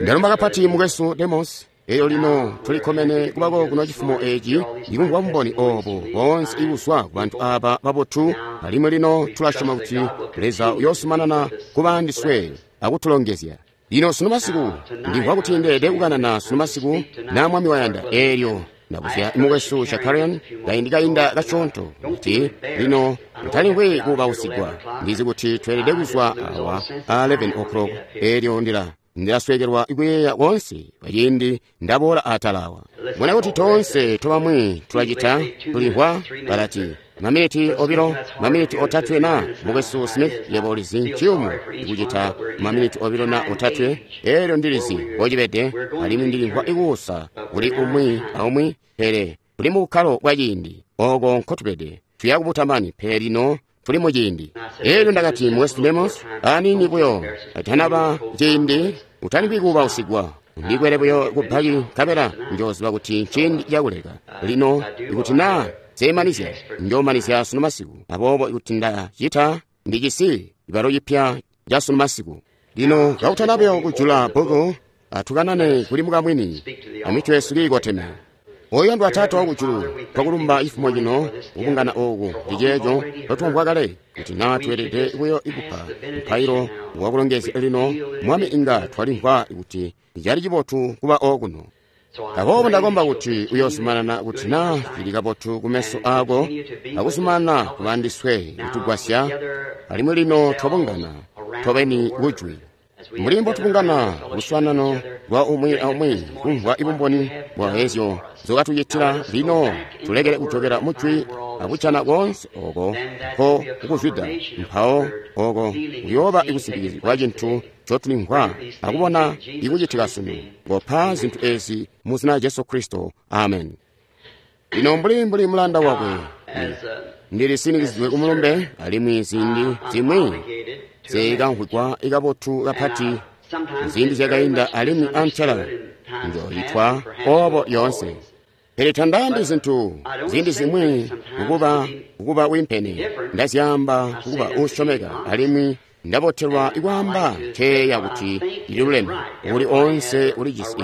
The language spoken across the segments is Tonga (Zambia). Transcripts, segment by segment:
Ndalumba kapati mukwesu Demos. Elyo lino tulikkomene kubako kuno cifumo eci ikumvwa bumboni obo boonse ibuzwa ku bantu aba babotu, alimwi lino tulasyoma kuti Leza uyoozumanana kuba andiswe akutulongezya. Lino sunu masiku ndimvwa kuti ndeelede kukanana sunu masiku na Mwami wayanda. Eelyo ndabuzya mukwesu Shakarian kaindi kainda kasyoonto kuti lino mutalimvwi kuubausigwa. Ndizi kuti tweelede kuzwa awa a 11 o'clock. Eelyo ndilasweekelwa kuyeeya koonse kwaciindi ndaboola atala awa. Mbona kuti toonse tobamwi tulacita, tulimvwa balati maminiti obilo, maminiti otatwe na mukwesu Smith, yebo ulizi nciyumu ikucita maminiti obilo na otatwe. Eelyo ndilizi mbocibede, alimwi ndilimvwa ikuusa kuli umwi aumwi, pele tuli mu bukkalo bwa ciindi oko nkotubede. Tuya kubutamani, pele lino tuli mu ciindi. Eelyo ndakati mukwesu Demos, aniini buyo atanaba ciindi, utalimvwi kuubausigwa. Ndikwele buyo kubbaki nkabela njooziba kuti nciindi cakuleka. Lino ikuti naa nseemanizya, njoomanizya sunu masiku. Aboobo ikuti ndacita, ndijisi cibalo cipya ca sunu masiku. Lino kakutana buyo kujula bbuku, atukanane kuli mukamwini amitwe yesu kiikoteme. Oyandwa Taata wakujulu, twakulumba cifumo cino kubungana ooku ndiceeco twatwamvwa kale kuti naa tweelede buyo ikupa mupailo wakulongezya. Lino Mwami, inga twalimvwa kuti cali cibotu kuba okuno. Aboobo ndakomba kuti uyoozumanana kuti naa cili kabotu kumeso aako akuzumanana kuba andiswe kutugwasya. Alimwi lino twabungana tobeni kujwi mbuli mbotubungana luswaanano lwa umwi aumwi kumvwa ibumboni bwa ezyo nzokatucitila. Lino tulekele kujokela mujwi akucana koonse oko nko kukuzwida, mpawo oko kuyooba ikusimpikizigwa kwa cintu ncotulimvwa akubona ikucitika sunu. Kopa zintu ezi mu zina lya Jesu Kristo, amen. Lino mbuli mulanda wakwe ndilisinikizidwe kumulumbe, alimwi ziindi zimwi zikamvwigwa ikabotu kapati ziindi zyakainda, alimwi antela njoyitwa obo lyoonse. Pele tandaambi zintu ziindi zimwi kukuba wimpene, ndazyaamba kukuba uusyomeka, alimwi ndabotelwa ikwaamba nceeya kuti ndililuleme. Uli oonse ulijisi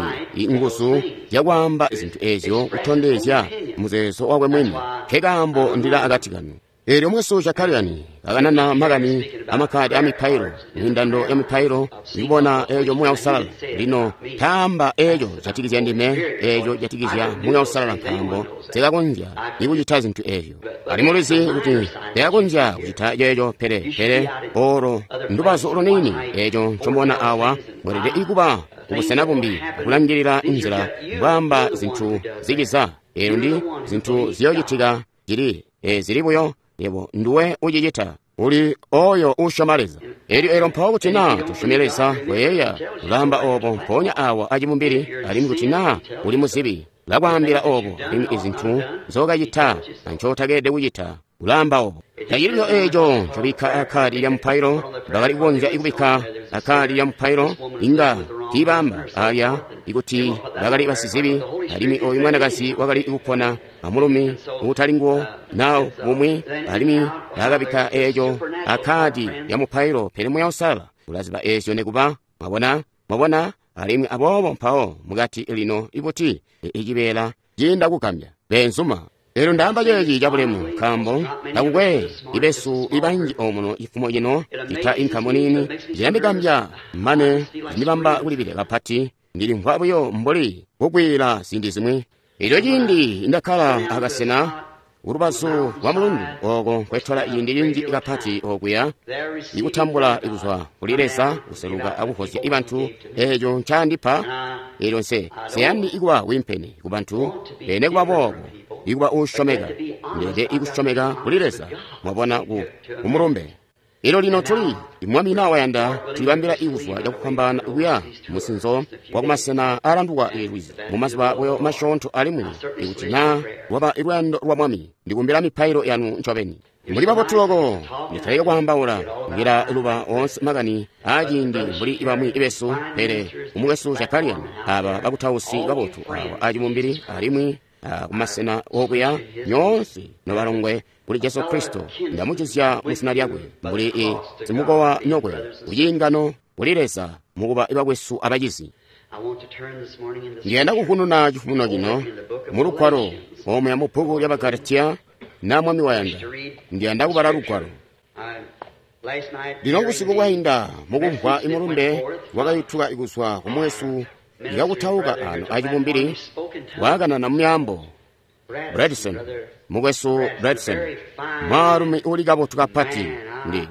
nguzu zyakwaamba zintu ezyo kutondezya muzeezo wakwe mwini. Nkekaambo ndila akati kanu. Eelyo mukwesu Shakarian kakanana makani amakkadi amipailo, mindando ya mipailo, ndikubona eeco Muuya Uusalala. Lino taamba eeco jatikizya ndime, eeco jatikizya Muuya Uusalala, nkaambo nsekakonzya ikucita zintu eezyo. Alimwi ulizi kuti nsekakonzya kucita ceeco, pele olo ndubazu luniini eeco ncomubona awa. Mweelede ikuba kubusena bumbi akulangilila nzila mbwaamba zintu ziciza. Eelyo ndi zintu ziyoocitika cili zili buyo. Yebo nduwe ucicita, uli oyo uusyoma Leza. Eelyo mpawo kuti naa tusyome Leza, koyeeya ulaamba obo mpoonya awa acibumbili, alimwi kuti naa uli muzibi, ulakwaambila obo, alimwi izintu nzookacita ancootakeelede kucita, ulaamba obo. Tacili buyo eeco ncobikka akkaadi lya mupailo. Bakali kukonzya ikubikka akkaadi lya mupailo, inga tiibaamba alya ikuti bakali basizibi, alimwi oyu mwanakazi wakali kupona amulumi uutali nguwo na bumwi, alimwi bakabikka eeco akkaadi lya mupailo. Pele Muuya Uusalala ulaziba eezyo nekuba. Mwabona, mwabona. Alimwi aboobo mpawo mukati lino ikuti icibeela ciinda kugambya beenzuma. Eelyo ndaamba ceeci cabulemu, nkaambo takukwe ibesu ibanji omuno cifumo cino cita inkamu niini. Cilandigambya mane cindibamba kulibile kapati. Ndilimvwa buyo mbuli kukwiila ziindi zimwi. Eelyo ciindi ndakkala akasena ulubazu lwa mulundu oko nkwetola ciindi cinji kapati okuya ikutambula ikuzwa kuli Leza kuseluka akuvozya ibantu eeco ncaandipa. Eelyo nseyandi ikuba wimpene kubantu, pele nekuba boobo ikuba uusyomeka. Ndeelede ikusyomeka kuli Leza, mwabona, ku mulumbe. Elyo lino tuli, Mwami na wayanda, tulibambila ikuzwa cakufwambaana kuya musinzo wakumasena aalandukwa lwizi mumazuba buyo masyoonto, alimwi ikuti naa lwaba luyando lwa Mwami, ndikumbila mipailo yanu ncobeni. Muli babotu loko, nditaleke kwaambaula, ndila luba oonse makani aaciindi mbuli bamwi besu, pele umukwesu Shakarian, aba bakutausi babotu awa acibumbili, alimwi kumasena okuya nyoonse nobalongwe kuli Jesu Kristo, ndamujuzya mu zina lyakwe, mbuli simukowa nyokwe kuciingano kuli Leza mukuba bakwesu abacizi. Ndiyanda kuvununa cifumo cino mulugwalo omuya mu bbuku lya Bagalatiya na Mwami wayanda. Ndiyanda kubala lugwalo. Lino busiku bwainda mukumvwa imulumbe wakayutuka kuzwa kumwesu ikakutauka ano acibumbili wakanana mumyaambo. Bradson, mukwesu Bradson, mwaalumi uli kabotu kapati. Ndi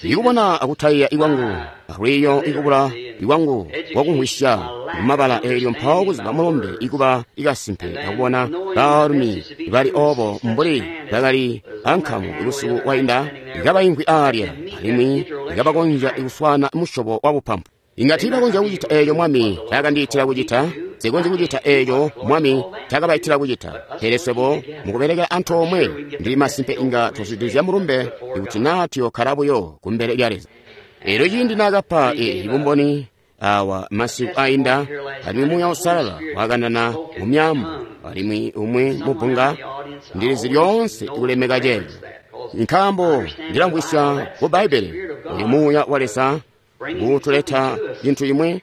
ikubona akutayiya ikwangu alwiyo ikubula ikwangu kwakumvwisya mumabala eelyo mpawo kuziba mulumbe ikuba ikasimpe akubona baalumi bali obo mbuli bakali ankamu ibusiku wainda ikabaimvwi aalya alimwi ikabakonzya ikuswana musyobo wa bupampu. Inga tiibakonzya kucita eeco Mwami caakandiitila kucita, sikonzyi kucita eeco Mwami caakabaitila kucita. Pele swebo mukubelekela antoomwe ndili masimpe inga tuzwidilizya mulumbe ikuti naa tuyokkala buyo kumbele lya Leza. Eelyo ciindi naakapa bumboni awa masiku ainda, alimwi Muuya Uusalala wakanana mu myaambo alimwi umwi mubbunga, ndilizi lyoonse kulemeka ceeco. Nkaambo ndilamvwisya ku Bbaibbele uyu Muuya wa Leza nguutuleta cintu cimwi,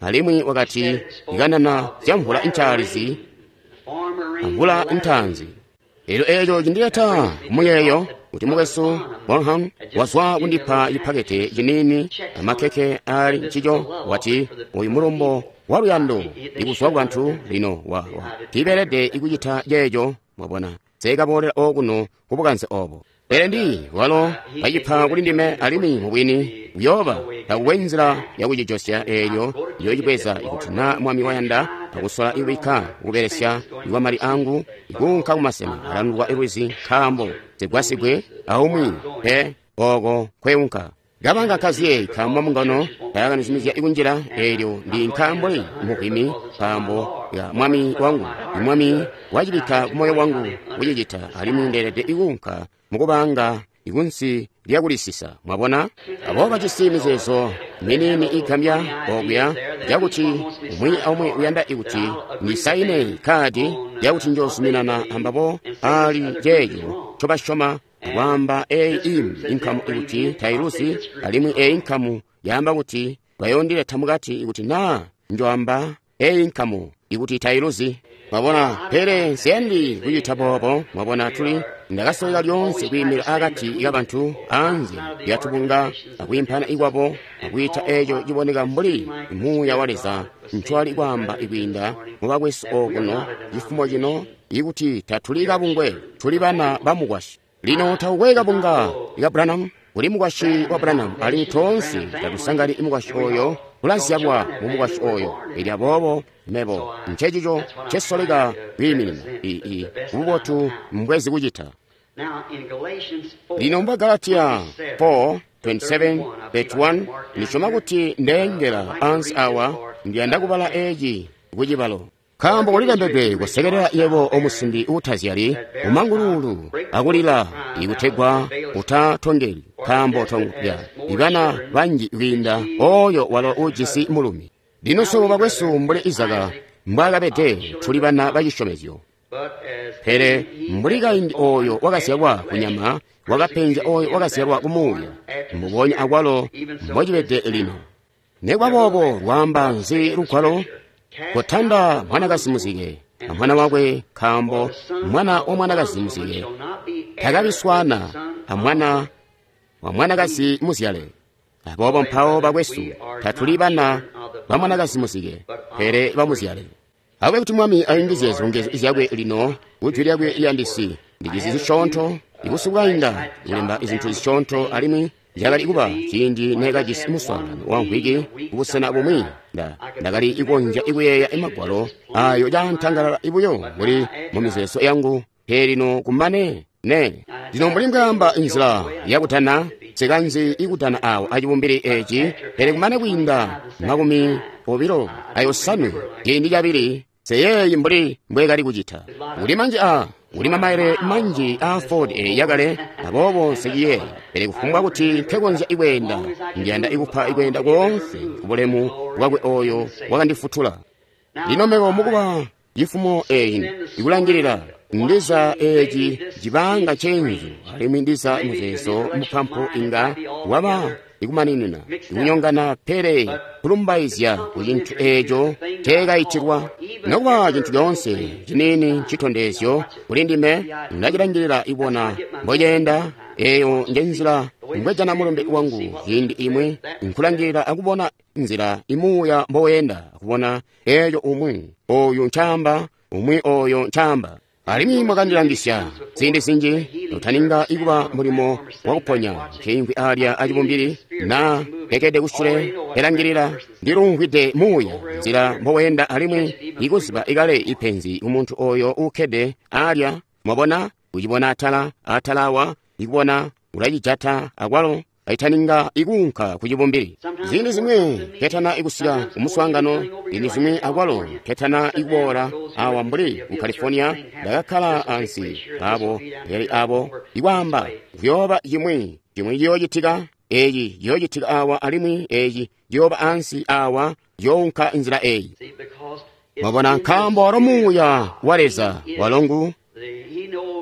alimwi wakati ikanana zya mvula ncaalizi amvula ntaanzi. Eelyo eeco cindileta kumuyeeyo kuti mukwesu Bonham wazwa kundipa cipakete ciniini amakeke aali ncico, wati uyu mulumbo wa luyando ikuzwa ku bantu lino wa tiibeelede ikucita ceeco. Mwabona, seekaboolela okuno kubukanze obo. Pele ndi walo bacipa kuli ndime alimwi mubwini kuyooba takukwe nzila yakucijosya eelyo yoocibweza ikuti naa Mwami wayanda akusola ikubikka kubelesya ikwa mali angu ikuunka kumasena alandukwa lwizi nkaambo zigwasigwe aumwi pe ooko nkweunka. Kabanga kaziye nkaambo mungano tayakanizumizya ikunjila eelyo ndi nkaambo muvwimi nkaambo ya Mwami wangu. Mwami wacibikka kumoyo wangu kucicita alimwi ndeelede ikuunka mukubanga ikunsi lyakulisisa. Mwabona, abo bajisi mizeezo miniini igambya okuya yakuti umwi aumwi uyanda ikuti ndisaine kadi yakuti njoozuminana ambabo ali ceeco ncobasyoma akwaamba eeyi imbi inkamu ikuti tailuzi alimwi eeyi nkamu yaamba kuti bayoondileta mukati ikuti naa njoamba eeyi nkamu ikuti tailuzi. Mwabona, pele nsiyandi kucita boobo. Mwabona, tuli ndakasoleka lyoonse kwiimira akati kabantu anze lyatubunga akwiimpana ikwabo akwiita eeco ciboneka mbuli Muuya wa Leza ncwali kwaamba ikwiinda mubakwesu okuno cifumo cino ikuti tatuli kabungwe, tuli bana bamukwasyi. Lino takukwe kabunga ka Branham, kuli mukwasyi wa Branham alimwi toonse tatusangani mukwasyi oyo kulazyalwa mu mukwasyi oyo. Elyo aboobo mebo ncecico ncesoleka kwiiminina bubotu mbwezi kucita. Lino mu Galatiya 4:27-31 ndisyoma kuti ndeengela ansi awa, ndiyanda kubala eeci kucibalo. Nkaambo kulilembedwe kusekelela yebo omusimbi uutazyali umangululu akulila ikutegwa utatongeli, nkaambo tongya ibana banji kwiinda oyo walo uujisi mulumi. Lino swebo bakwesu mbuli Izaka mbwaakabede tuli bana bacisyomezyo. Pele mbuli kaindi oyo wakazyalwa kunyama wakapenzya oyo wakazyalwa kumuuya, mbubonya akwalo mbocibede lino. Nekuba boobo lwaamba nzi lugwalo? Kotanda mwanakazi muzike amwana wakwe, nkaambo mwana wa mwanakazi muzike takabiswana amwana wa mwanakazi muzyale. Aboobo mpawo bakwesu tatuli bana ba mwanakazi muzike, pele bamuzyale. Akube kuti Mwami ayungizye zilongezyo zyakwe lino kujwi lyakwe liyandisi. Ndijizi zisyoonto ibusiku bwainda kulemba izintu zisyoonto alimwi zyakali kuba ciindi neekajisi muswaangano wa mvwiki kubusena bumwi. Ndakali ikonzya ikuyeeya imagwalo ayo caantangalala buyo mbuli mu mizeezo yangu, pele lino kumane ne. Lino mbuli mbwaamba inzila yakutana, nsikanzi ikutana awo acibumbili eeci, pele kumane kwiinda 25 ciindi cabili nseyeeyi mbuli mbweekali kucita. Kuli manji kuli mamaile manji aa Ford yakale, aboobo nseciyeeyi. Pele kufumbwa kuti nkekonzya ikweenda, ndiyanda ikupa ikweenda koonse kubulemu bwakwe oyo wakandifutula. Lino mebo mukuba cifumo eeyi ikulangilila ndiza eeci cibanga cenzu alimwi ndiza muzeezo mupampu inga waba ikumaninina ikunyongana, pele kulumbaizya ku cintu eeco teekaitilwa. Nokuba cintu coonse ciniini ncitondezyo kuli ndime, ndacilangilila ibona mboceenda. Eeyo njenzila mbwejana mulumbe wangu ciindi imwi, nkulangilila akubona nzila imuuya mboweenda, akubona eeco umwi oyu ncaamba, umwi oyo ncaamba. Alimwi mwakandilangisya ziindi zinji notaninga ikuba mulimo wakuponya nkeimvwi alya acibumbili na lekede kusule elangilila, ndilumvwide muuya nzila mboweenda, alimwi ikuziba ikale ipenzi kumuntu oyo uukkede alya. Mwabona, kucibona atala atalawa, ikubona ulacijata akwalo aitaninga ikuunka ku cibumbili. Ziindi zimwi ketana ikusika kumuswaangano, ziindi zimwi akwalo ketana ikuboola awa mbuli ku California, ndakakkala ansi abo pele abo ikwaamba kuyooba cimwi cimwi ciyoocitika, eeci ciyoocitika awa, alimwi eeci ciyooba ansi awa, ciyounka nzila eyi. Mwabona, nkaambo walo muuya wa Leza walongu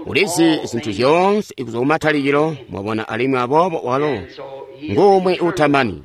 ulizi zintu zyoonse kuzwa kumatalikilo, mwabona, alimwi aboobo walo ngumwi utamani.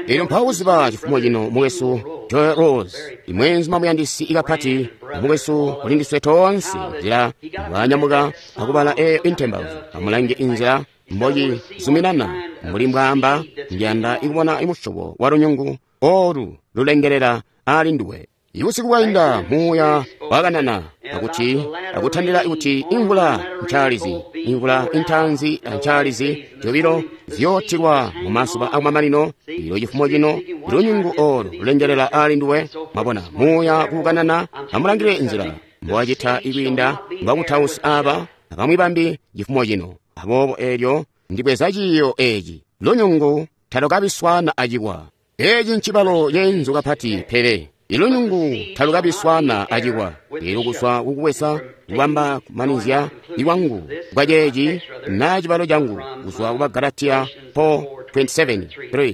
Elyo mpawo kuziba cifumo cino mukwesu Joy Rose, imwenzuma muyandisi ikapati, mukwesu kulindiswe toonse, nzila mbwanyamuka akubala eyo intembauzyo. Amulange inzila mbocizuminana mbuli mbwaamba, ndiyanda ikubona imusyobo wa lunyungu olu lulengelela ali nduwe. Ibusiku bwainda muuya wakanana akuti akutandila kuti imvula ncaalizi, imvula intaanzi ancaalizi zyobilo ziyootilwa mu mazuba akumamanino. Ilo cifumo cino lunyungu olu lulengelela ali nduwe. Mwabona muuya kukanana, amulangile nzila mbowacita ikwiinda mbakutausi aba abamwi bambi cifumo cino. Aboobo eelyo ndibweza ciiyo eeci, lunyungu talukabiswana acikwa. Eeci ncibalo ceenzu kapati, pele ilunyungu talukabiswana acikwa. Elo kuzwa kukubweza kubamba kumanizya iwangu bwaceeci na cibalo cangu kuzwa ku Bagalatiya 4:27-3.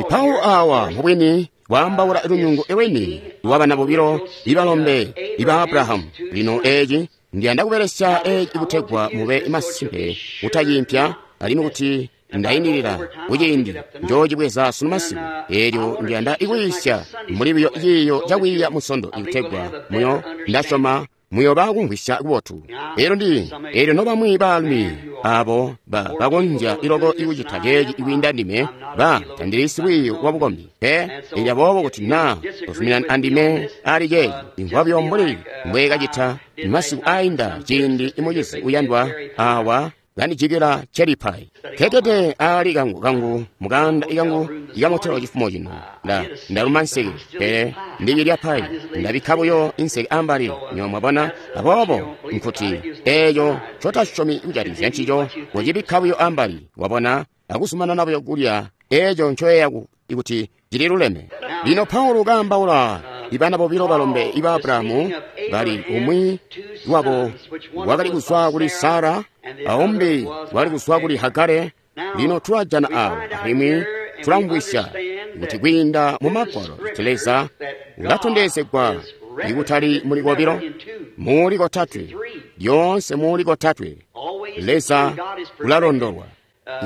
Paulo awa mubwini waambaula lunyungu iweni lwabana bobilo ibalombe iba Abrahamu. Lino eeci ndiyanda kubelesya eeci kutegwa mube masimpe kutaciimpya, alimwi kuti ndayindilila kuciindi njoocibweza sunu masiku. Eelyo ndiyanda ikwiisya mbuli buyo ciiyo cakwiiya musondo ikutegwa muyo ndasyoma muyoba kumvwisya kubotu. Eelyo ndi eelyo nobamwi baalumi abo bakonzya iloko ikucita ceeci ikwiinda ndime, ba tandili sikwiiyo wa bukombi pe. Eelyo aboobo kuti naa tozuminana andime ali ceeci, imvwa buyo mbuli mbweekacita masiku ainda ciindi imucizi uyandwa awa kandijikila cherry pie kekede ali kangu kangu mukanda ikangu ikamotelo chifumo chino. Ndaluma nseke pele ndicilya pai, ndabikka buyo inseke ambali. Nyo mwabona, aboobo nkuti eeyo cotasyomi kujatikizya ncico kucibikka buyo ambali, wabona, akuzumanana buyo kulya eeco ncoyeeya kuti cililuleme. Lino Paulo kaambaula ibana bobilo balombe iba Abrahamu, bali umwi wabo wakali kuzwa kuli Sara, aumbi wakali kuzwa kuli Hagare. Lino tulajana awo, alimwi tulamvwisya kuti kwiinda mu Magwalo kuti Leza ulatondezegwa ikutali muli kobilo, muli kotatwe, lyoonse muli kotatwe. Leza ulalondolwa.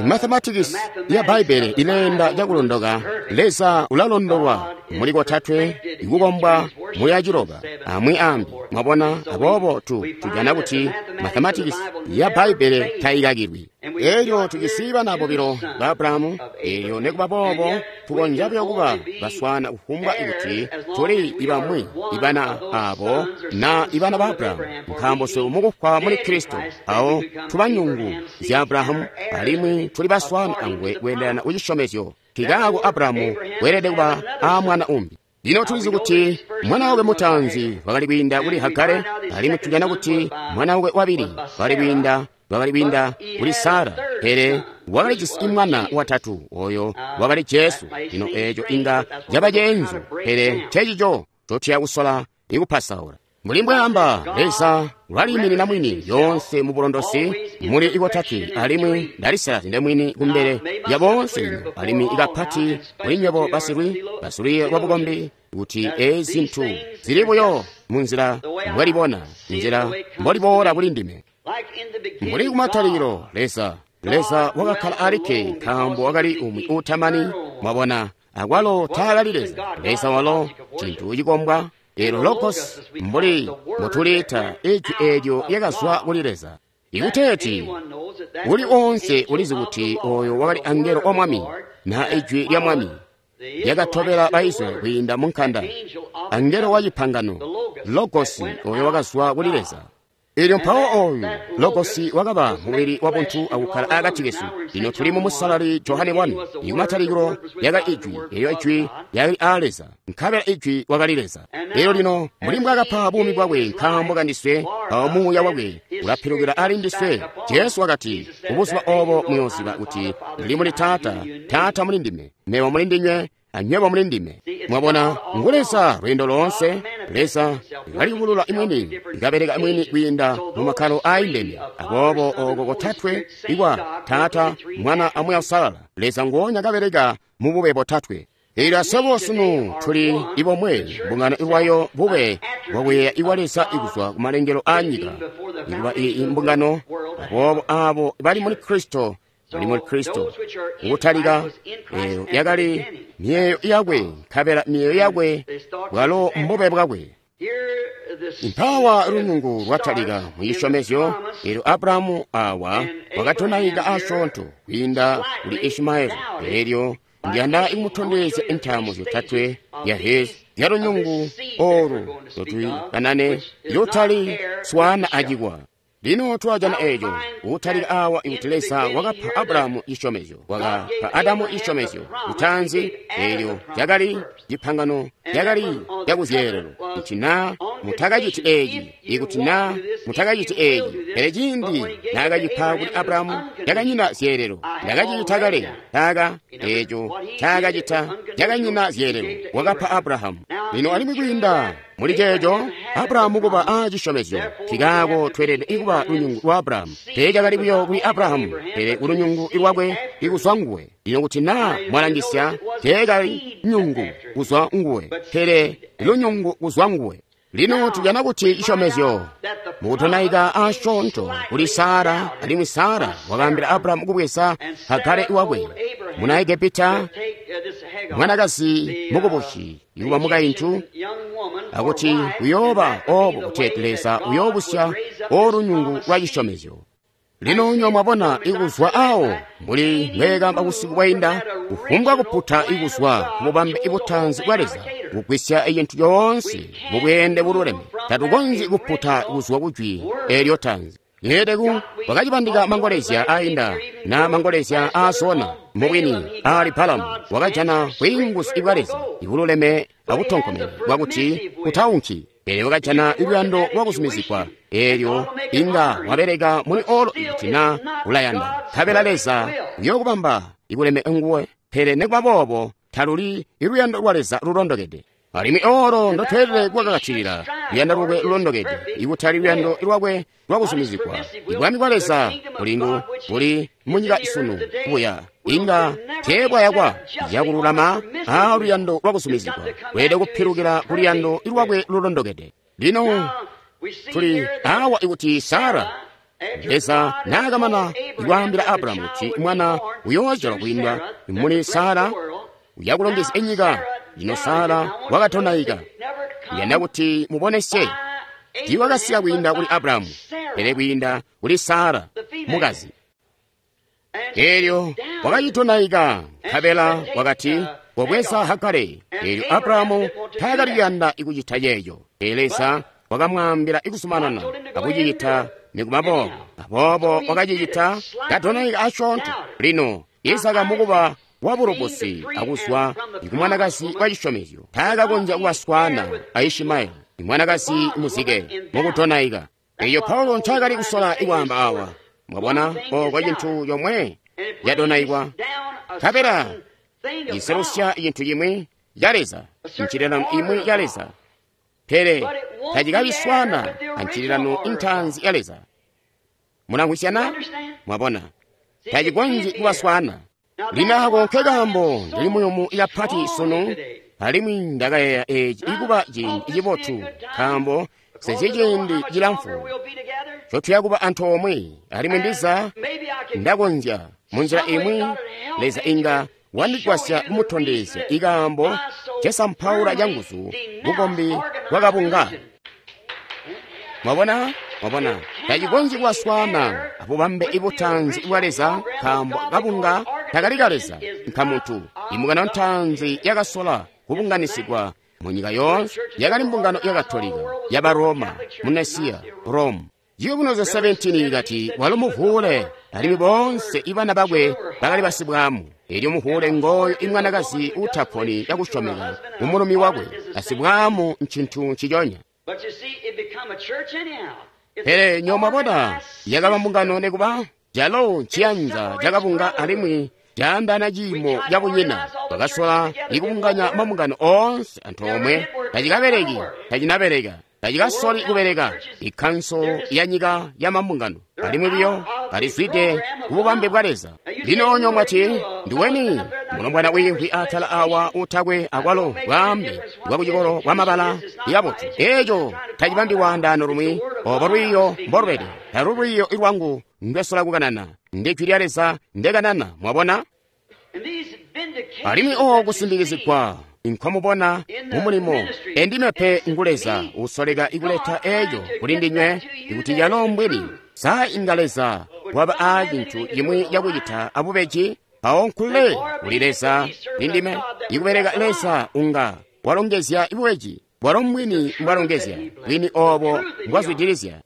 Mathematics ya Bbaibele ileenda cakulondoka. Leza ulalondolwa muli kotatwe, ikukombwa muli aciloba, amwi ambi. Mwabona, aboobo tujana kuti mathematics ya Bbaibele taikakilwi. Elyo tujisi bana bobilo ba Abrahamu, elyo nekuba boobo tukonzya buyo kuba baswana kufumbwa kuti tuli ibamwi ibana abo na ibana ba Abrahamu, nkaambo swebo mukufwa muli Kristo awo tuba nyungu zya Abrahamu, alimwi tuli baswana angwe kweendelana kucisyomezyo. Kikaako Abrahamu weelede kuba a mwana umbi. Lino tulizi kuti mwana wakwe mutaanzi wakali kwiinda kuli Hagare, alimwi tujana kuti mwana wakwe wabili wakali kwiinda kuli Sara, pele wakalijisi mwana watatu, oyo wakali Jesu. Lino eeco inga caba ceenzu, pele ncecico cotuya kusola ikupasaula. Mbuli mbwaamba, Leza ulaliiminina mwini lyoonse mu bulondosi muli ikotatwe, alimwi ndalisalazya ndemwini kumbele ya boonse lino, alimwi ikapati kuli nywebo basilwi lwa bukombi, kuti eezi zintu zili buyo munzila mbwelibona, nzila mboliboola kuli ndime. Mbuli kumatalikilo, Leza Leza wakakkala alikke nkaambo wakali umwi uutamani. Mwabona, akwalo taakali Leza. Leza walo cintu cikombwa. Eelyo Logos, mbuli mbutuliita, ijwi eelyo lyakazwa kuli Leza. Ikuteeti uli oonse ulizi kuti oyo wakali angelo wa Mwami, na ijwi lya Mwami lyakatobela Baisraeli kwiinda mu nkanda, angelo wa cipangano, Logosi oyo wakazwa kuli Leza. Eelyo mpawo oyu Logosi wakaba mubili wa buntu akukkala akati kesu. Lino tuli mu Musalali Johane 1. Ikumatalikilo lyakali Ijwi, eelyo Ijwi lyakali aa Leza, nkabela Ijwi wakali Leza. Eelyo lino mbuli mbwaakapa buumi bwakwe nkaambo kandiswe, mpawo Muuya wakwe ulapilukila ali ndiswe. Jesu wakati, kubuzuba obo muyooziba kuti ndili muli Taata, Taata muli ndime, mebo muli ndinywe, anywebo muli ndime. Mwabona, ngu Leza lweendo loonse. Leza kaliyubulula mwini, kabeleka mwini kwiinda mu makkalo aindene. Aboobo oko kotatwe ikwa Taata, Mwana a Muuya Uusalala, Leza nguonya kabeleka mu bube botatwe. Eelyo aswebo sunu tuli ibomwe, mbungano ilwayo bube bwakuyeeya ibwa Leza ikuzwa ku malengelo aa nyika, ikuba iyi mbungano. Aboobo abo bali muli Kristo bali muli Kristo. Kutalika eyo yakali miyeeyo yakwe, nkabela miyeeyo yakwe bwalo mbube bwakwe. Mpawa lunyungu lwatalika mu cisyomezyo. Eelyo Abrahamu awa wakatonaika asyoonto kwiinda kuli Ishimaeli. Eelyo ndiyanda kumutondezya intaamo zyotatwe ya hezi zya lunyungu olu lotukanane lutali swana acikwa. Lino twajana eco kutalika awa ikuti Leza wakapa Abrahamu cisyomezyo, wakapa Adamu cisyomezyo lutaanzi. Eelyo lyakali cipangano, lyakali lyakuzyeelelo, kuti naa mutakaciti eeci, ikuti naa mutakaciti eeci. Pele ciindi naakacipa kuli Abrahamu, lyakanyina zyeelelo. Ndakacita kale taaka eeco ncaakacita, lyakanyina zyeelelo, wakapa Abrahamu. Lino alimwi kwiinda muli ceeco Abrahamu kuba a cisyomezyo, nkikaako tweelede kuba lunyungu lwa Abrahamu. Teecakali buyo kuli Abrahamu, pele kulunyungu lwakwe ikuzwa nguwe. Lino kuti naa mwalangisya, teekali nyungu kuzwa nguwe, pele lunyungu kuzwa nguwe. Lino tujana kuti cisyomezyo mukutonaika asyoonto kuli Sara, alimwi Sara wakaambila Abrahamu kubweza Hagare wakwe muna Egepita, mwanakazi mukubusi ikuba mukaintu, akuti kuyooba obo kuti Leza uyoobusya olunyungu lwa cisyomezyo. Lino nyo mwabona ikuzwa awo mbuli mbweekamba busiku bwainda, kufumbwa kuputa ikuzwa kububambe ibutaanzi bwa Leza kugwisya cintu coonse mubweende bululeme. Tatukonzyi kuputa kuzwa kujwi eelyo taanzi. Yeedeku wakacibandika mangolezya ainda na mangolezya aasona. Mubwini ali Balamu wakajana bwiinguzi bwa Leza ibululeme abutonkomene bwakuti kutaunki, pele wakajana luyando lwakuzumizigwa. Eelyo inga wabeleka muli olo ikuti na ulayanda, nkabela Leza uyookubamba ikuleme nguwe. Pele nikuba boobo taluli iluyando lwa Leza lulondokede. Alimwi olo ndotweelede kuwakakatilila luyando lwakwe lulondokede, ikutali luyando lwakwe lwakuzumizigwa. Ibwami bwa Leza bulingu buli munyika isunu buya inga teebwayakwa yakululama a luyando lwakuzumizigwa, lweelede kupilukila ku luyando lwakwe lulondokede. Lino tuli awa ikuti Sara, Leza naakamana ikwaambila Abrahamu kuti mwana uyoozyalwa kwiinda muli Sara uyakulongezya enyika. Lino Sara wakatonaika. Ndiyanda kuti mubonesye tiiwakasika kwiinda kuli Abrahamu, pele kwiinda kuli Sara mukazi. Eelyo wakacitonaika, nkabela wakati kobweza Hagare. Eelyo Abrahamu taakali kuyanda ikucita ceeco, pele Leza wakamwaambila ikuzumanana akucicita nikuba boobo. Aboobo wakacicita katonaika asyoonto. Lino Isaka mukuba wabulubusi akuzwa ikumwanakazi wa cisyomezyo taakakonzya kubaswana a Ishimaeli imwanakazi muzike mukutonaika. Eyo Paulo ncaakali kusola ikwaamba awa. Mwabona, oko cintu comwe catonaikwa, nkabela ciselusya cintu cimwi ca Leza, ncililano imwi ya Leza, pele tacikabiswana ancililano intaanzi ya Leza. Mulamvwisyana? Mwabona, tacikonzyi kubaswana. Lino ako nkekaambo ndili muyumu kapati sunu, alimwi ndakayeeya eeci ikuba ciindi cibotu, nkaambo Sezyi ciindi cilamfu ncotuya kuba antoomwe, alimwi ndiza ndakonzya munzila imwi Leza inga wandigwasya kumutondezya ikaambo ncesampaula canguzu bukombi bwakabunga. Mwabona? Mwabona, tacikonzyi kubaswaana abubambe ibutaanzi bwa Leza, nkaambo kabunga takali ka Leza, nkamuntu. Imbungano ntaanzi yakasola kubunganisigwa munyika yoonse yakali mbungano ya Katolika yaba Roma mu Nicaea, Rome. Ciyubunuzyo 17 ikati walo muvuule, alimwi boonse ibana bakwe bakali basibwaamu. Elyo muvuule ngooyo imwanakazi uutaponi cakusyomeka kumulumi wakwe. Asibwaamu ncintu nciconya. Pele nywebo mwabona, yakaba mbungano nekuba calo nciyanza cakabunga alimwi caandaana ciimo cabunyina. Bakasola ikubunganya mabungano oonse antoomwe. Tacikabeleki, tacinabeleka, tacikasoli kubeleka. Ikkanso ya nyika ya mabungano alimwi buyo balizwide kububambe bwa Leza. Lino nywebo mwati, ndiweni mulombwana wiimvwi atala awa utakwe akwalo bwaambe bwa kucikolo bwa mabala ikabotu. Eeco tacibambi lwaandaano lumwi. Obo lwiiyo mbolubede, talu lwiiyo lwangu ndwesola kukanana, ndi jwi lya Leza ndekanana. Mwabona? Alimwi oo kusindikizigwa nkomubona mumulimo endime pe ngu Leza usoleka ikuleta eeco kuli ndinywe ikuti calo mbwini. Sa inga Leza waba aa cintu cimwi cakucita abubeji? Mpawo nkule kuli Leza lindime ikubeleka Leza unga walongezya ibubeji bwalo mbwini mbwalongezya bwini obo mbwazwidilizya.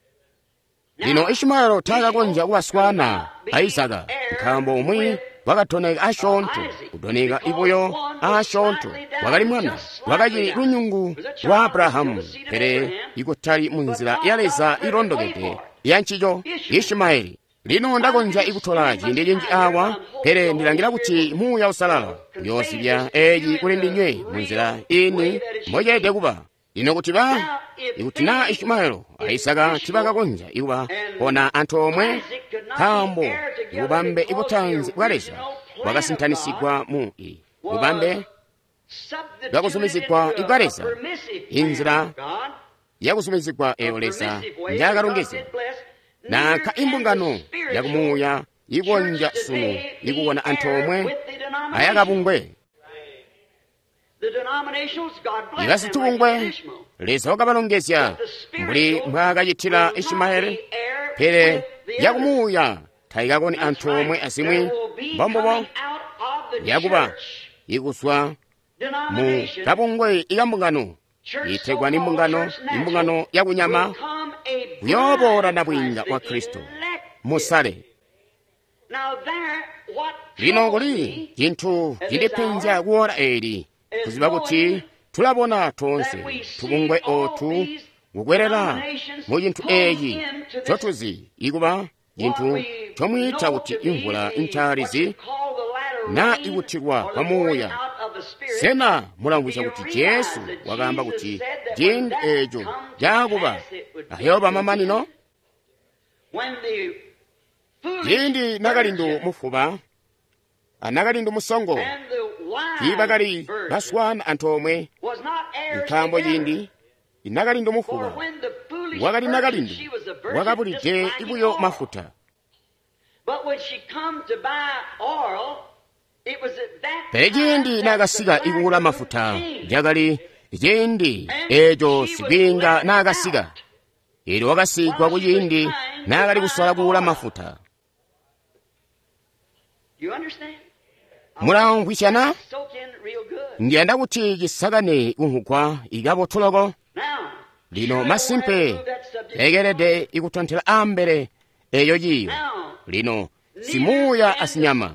Lino Ishimaelo taakakonzya kubaswaana a Izaka, nkaambo umwi wakatoneka asyoonto, kutoneka ibuyo asyoonto. Wakali mwana, wakacili lunyungu lwa Abrahamu, pele ikutali munzila ya Leza ilondokede ya ncico, Ishimaeli. Lino ndakonzya ikutola ciindi cinji awa, pele ndilangila kuti Muuya Uusalala uyoozibya eeci kuli ndinywe munzila ini mboceelede kuba. Lino kuti ikuti naa Ishimaelo a Isaka tibakakonzya ikuba ona antoomwe, nkaambo bubambe ibutaanzi bwa Leza bwakasintanisigwa mu bubambe bwakuzumizigwa ibwa Leza, inzila yakuzumizigwa eyo Leza njakalongezya. Nanka imbungano yakumuuya ikonzya sunu ikubona antoomwe ayakabungwe. Ibasitubungwe Leza wakabalongezya mbuli mbwaakacitila Ishimaeli, pele yakumuuya taikakoni antoomwe azimwi. Mbombubo yakuba ikuzwa mu kabungwe ikambungano itegwa ni mbungano, imbungano yakunyama kuyooboola nabwiinga wa Kristo musale. Lino kuli cintu cindipenzya kuora eeli, kuziba kuti tulabona toonse tubungwe ootu kukwelela mu cintu eeci ncotuzi ikuba cintu ncomwiita kuti imvula ncaalizi na ikutilwa kwa muuya. Sena mulamvwisya kuti Jesu wakaamba kuti ciindi eeco caakuba ayooba mamanino? Ciindi nakalindu mufuba anakalindu musongo tiibakali baswaana antoomwe, nkaambo ciindi nakalindu mufuba wakali nakalindu wakabulide buyo mafuta. Pele ciindi naakasika ikuula mafuta, cakali ciindi eeco sikwiinga naakasika. Eelyo wakasigwa kuciindi naakali kusola kuula mafuta. Mulamvwisyana? Ndiyanda kuti cisakane kunhugwa ikabotu loko. Lino masimpe lekelede ikutontela ambele eeyo ciiyo. Lino simuuya asinyama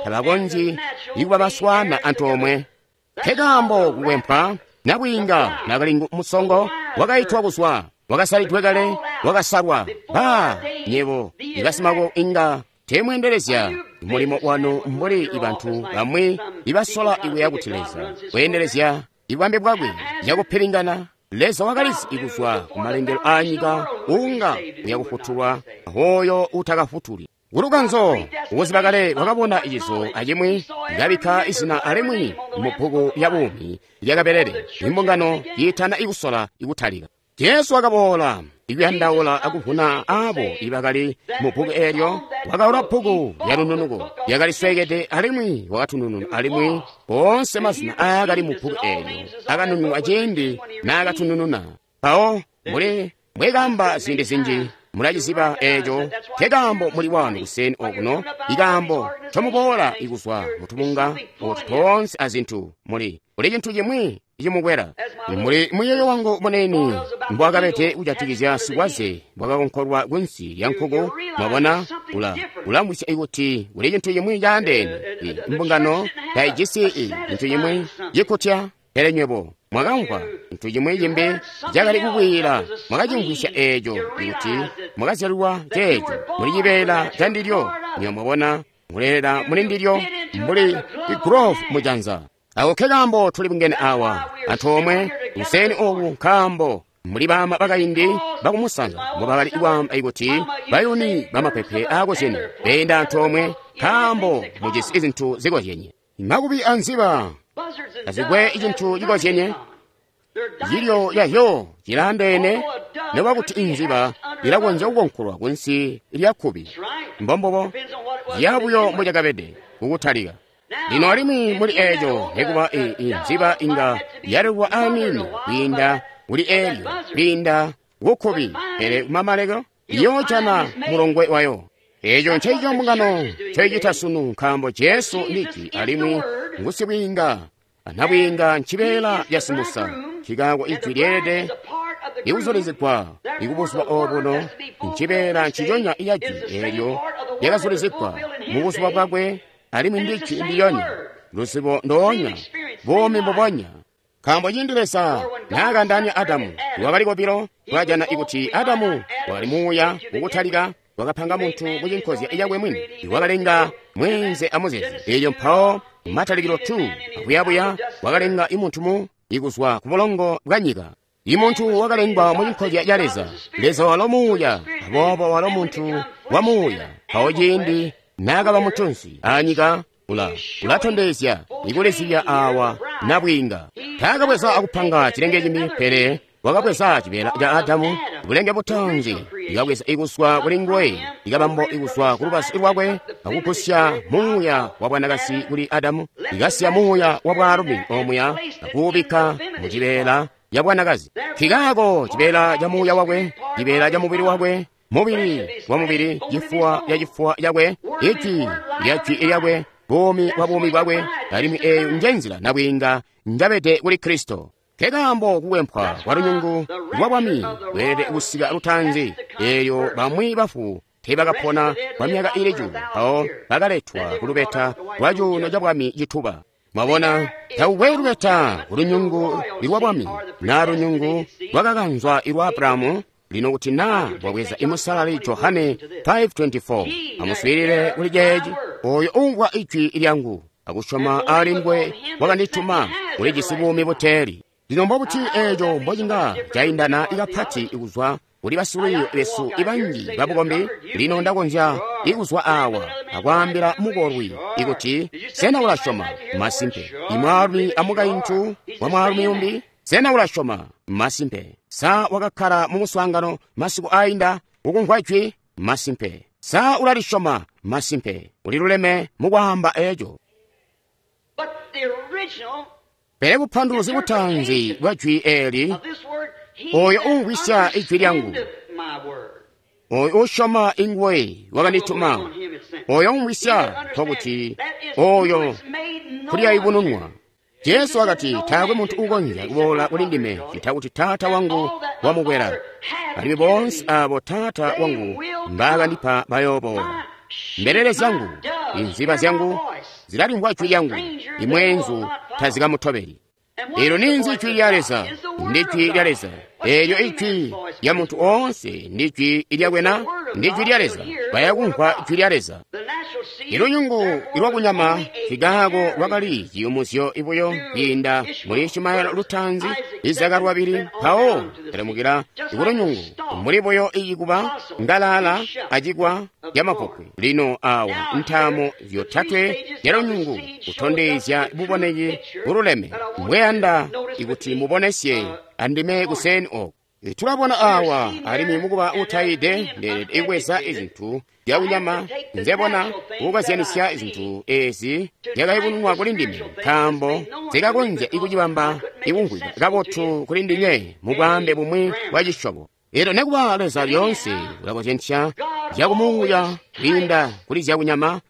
tabakonzyi ikuba baswaana antoomwe. Nkekaambo kukwempwa nabwiinga nakalindu musongo wakaitwa kuzwa, wakasalidwe kale, wakasalwa. Ba nyebo ibasimako inga teemweendelezya mulimo wanu mbuli ibantu bamwi ibasola ikuya kuti Leza kweendelezya ibwambe bwakwe cakupilingana. Leza wakalizi ikuzwa kumalengelo aanyika unga uyakufutulwa hoyo utakafutuli. Kulukanzo ukuziba kale wakabona icizo acimwi likabikka izina alimwi mu bbuku lya buumi lyakabelele imbungano yiitana ikusola ikutalika. Jesu wakaboola ikuyandaula akuvuna aabo ibakali mu bbuku eelyo. Wakaula bbuku lya lununuko lyakali sweekede alimwi wakatunununa, alimwi boonse mazina aakali mu bbuku eelyo akanununwa ciindi naakatunununa. Mpawo muli mbwekaamba ziindi zinji, mulaciziba eeco nkekaambo muli wanu kuseni okuno, ikaambo ncomuboola ikuzwa mutubunga otu toonse azintu, muli kuli cintu cimwi cimukwela. Muli muyeeyo wangu munene mbwakabede kujatikizya sikwaze bwakakonkolwa kunsi lya nkuku. Mwabona, ulamvwisya ikuti kuli cintu cimwi caandeene. Imbungano taijisi cintu cimwi cikutya, pele nywebo mwakamvwa cintu cimwi cimbi cakali kukwiila, mwakacimvwisya eeco ikuti mwakazyalilwa ceeco muli cibeela ca ndilyo. Nywebo mwabona, muleelela muli ndilyo mbuli igrove mujanza. Ako nkekaambo tuli bungene awa antoomwe kuseni oku, nkaambo muli baama bakaindi bakumusanza mbobakali kwaamba ikuti bayuni bamapepe aakozyenye beenda antoomwe, nkaambo mujisi zintu zikozyenye. Makubi anziba tazikwe cintu cikozyenye, cilyo cazyo cilaandeene, nokuba kuti inziba ilakonzya kukonkolwa kunsi lya kkubi. Mbombubo, ciya buyo mbocakabede kukutalika. Lino alimwi muli eeco, nekuba inziba inga yalelwa aniini kwiinda kuli eelyo, kwiinda kukkubi, pele kumamalekelo iyoojana mulongwe wayo. Eeco ncencico mbungano ncoicita sunu, nkaambo Jesu ndi Ijwi alimwi ngusibwiinga, anabwiinga ncibeela ca simusa. Nkaako Ijwi lyeelede ikuzulizigwa ikubuzuba obuno, ncibeela nciconya ca Jwi eelyo lyakazulizigwa mubuzuba bwakwe, alimwi ndi Ijwi ndilyonya, luzibo ndoonya, buumi mbubonya. Nkaambo ciindi Leza naakaandaanya Adamu, wakali kobilo, twajana ikuti Adamu wakali muuya kukutalika, wakapanga muntu kucinkozya cakwe mwini, wakalenga mweenze amuzezi. Eelyo mpawo matalikilo 2 akuyabuya wakalenga imuntu mu ikuzwa ku bulongo bwa nyika. Imuntu wakalengwa mucinkozya ca Leza. Leza walo muuya, aboobo walo muntu wa muuya. Mpawo ciindi naakaba muntunsi anyika, ulatondezya ikulizibya awa nabwiinga. Taakabweza akupanga cilenge cimbi, pele wakabweza cibeela ca Adamu, bulenge butanzi, ikabweza ikuswa kuli nguwe, ikabambo ikuswa ku lubazu lwakwe, akugusya muuya wa bwanakasi kuli Adamu, ikasiya muuya wa bwaalumi omuya, akuubikka mu cibeela ya bwanakazi. Nkikaako cibeela ca muuya wakwe, cibeela ca mubili wakwe, mubili wa mubili, cifuwa ca cifuwa cakwe, ijwi lya jwi lyakwe, buumi bwa buumi bwakwe, alimwi eeyo njenzila nabwiinga njabede kuli Kristo. Nkekaambo kukwempwa kwa lunyungu lwa bwami lweelede kusika lutanzi, eelyo bamwi bafu teebakapona kwa myaka ili cuulu, mpawo bakaletwa ku lubeta lwa cuuno ca bwami cituba. Mwabona, takukwe lubeta ku lunyungu lwa bwami naa lunyungu lwakakanzwa ilwa Abrahamu. Lino kuti naa bwabweza imusalali Johane 5:24, amuswiilile kuli ceeci: oyo uumvwa ijwi lyangu akusyoma ali nguwe wakandituma ulijisi buumi buteeli. Lino mbobuti eeco mbocinga caindana kapati kuzwa kuli basilwiiyo besu ibanji babukombi? Lino ndakonzya ikuzwa awa akwaambila mukolwi ikuti, sena ulasyoma? Masimpe. Imwaalumi amukaintu wa mwaalumi umbi, sena ulasyoma? Masimpe. Sa wakakkala mu muswaangano masiku ainda ukumvwa jwi? Masimpe. Sa ulalisyoma? Masimpe. Uliluleme mukwaamba eeco. Pele bupanduluzi butanzi bwa jwi eeli, oyo uumvwisya ijwi lyangu, oyo uusyoma inguwe wakandituma, oyo uumvwisya, nkokuti oyo kulyayubununwa. Jesu wakati, taakwe muntu uukonzya kuboola kuli ndime ccita kuti Taata wangu wamukwela, alimwi boonse aabo Taata wangu mbaakandipa bayooboola. Mbelele zyangu, inziba zyangu, zilalimvwa jwi lyangu, imweenzu tazikamutobeli. Eelyo ninzi jwi lya Leza? Ndi jwi lya Leza. Eelyo ijwi lya muntu oonse ndi jwi lyakwe na? Ndi jwi lya Leza. Bayakumvwa jwi lya Leza. Ilunyungu lwakunyama nkaako lwakali ciyumuzyo ibuyo kwiinda muli Ishimaeli lutaanzi, Izaka lwabili, mpawo telemukila kulunyungu muli buyo icikuba ngalala acikwa camapopwe. Lino awa ntaamo zyotatwe zyalunyungu kutondezya buboneki bululeme. Mbweyanda ikuti mubonesye andime kuseni oku. Tulabona awa alimwi mukuba utayide ndeelede ibweza izintu zyakunyama nzebona kukazyanisya izintu ezi zyakayubununwa kuli ndime, nkaambo zikakonzya ikucibamba ikumvwika kabotu kuli ndinywe mu bwaambe bumwi bwa cisyobo. Elyo nekuba Leza lyoonse ulakozyanisya zyakumuuya kwiinda kuli zyakunyama.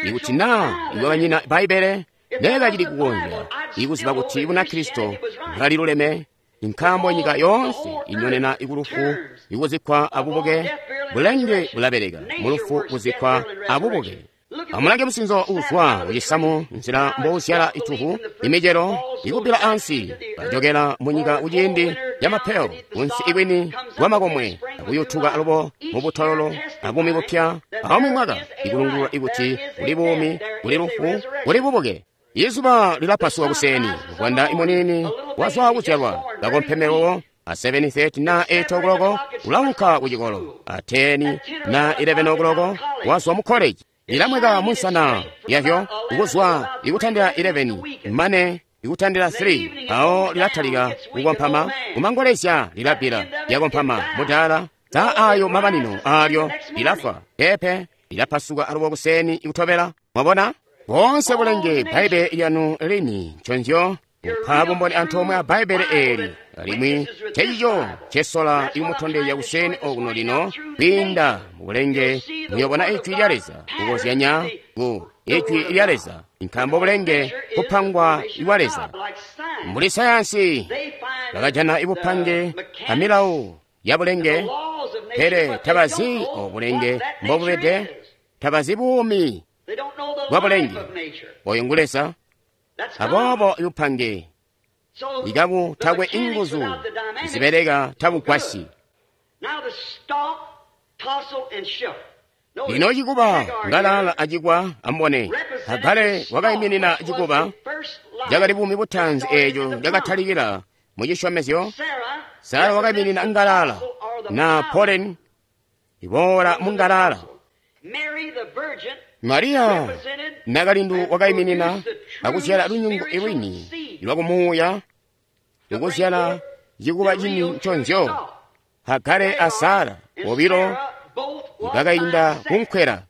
Ikuti naa iwabanyina Bbaibbele neekacili kukonzya ikuziba kuti Bunakristo bwaliluleme, nkaambo nyika yoonse inyonena ikulufu ikuzikkwa abubuke, bulenge bulabeleka mulufu kuzikkwa abubuke. Amulange musinzo uuzwa kucisamu, nzila mbouzyala ituvu, imicelo ikubbila ansi, kajokela munyika kuciindi camapeyo, kunsi ikwini kwamakomwe, akuyutuka alubo mubutololo abuumi bupya, aumwi mwaka ikulungulula ikuti kuli buumi, kuli lufu, kuli bubuke. Izuba lilapasuka kuseni, muvwanda imunini wazwa kuzyalwa, kakompemewo a 7:30 na 8 o'clock ulaunka kucikolo, a 10 na 11 o'clock wazwa mu college. Lilamweka munsana yavyo kuzwa ikutandila 11 mane ikutandila 3, awo lilatalika kukompama, kumangolezya lilabila lyakompama mudala za ayo mabanino alyo lilafwa pepe lilapasuka alubo kuseni ikutobela. Mwabona? Bonse bulenge Bbaibbele lyanu lini nconzyo kupa bumboni antoomwe a Bbaibbele eeli, alimwi ncecico ncesola ikumutondezya kuseni okuno lino kwiinda mu bulenge muyobona Ijwi lya Leza kukozyanya ku Ijwi lya Leza, nkaambo bulenge kupangwa iwa Leza. Mbuli sayansi bakajana ibupange amilawo ya bulenge, pele tabazi obulenge mbobubede, tabazi buumi bwa bulenge. Oyo ngu Leza. Aboobo ibupange ikabu takwe inguzu zibeleka tabugwasyi. Lino cikuba ngalala acikwa ambone. Hagare wakaiminina cikuba cakali buumi butaanzi eeco cakatalikila mu cisyomezyo. Sara wakaiminina ngalala na poleni iboola mu ngalala. Mariya nakalindu wakaiminina akuzyala lunyungu ilwini lwakumuuya, ukuzyala cikuba cini nconzyo. Hagare a Sara bobilo bakainda kunkwela.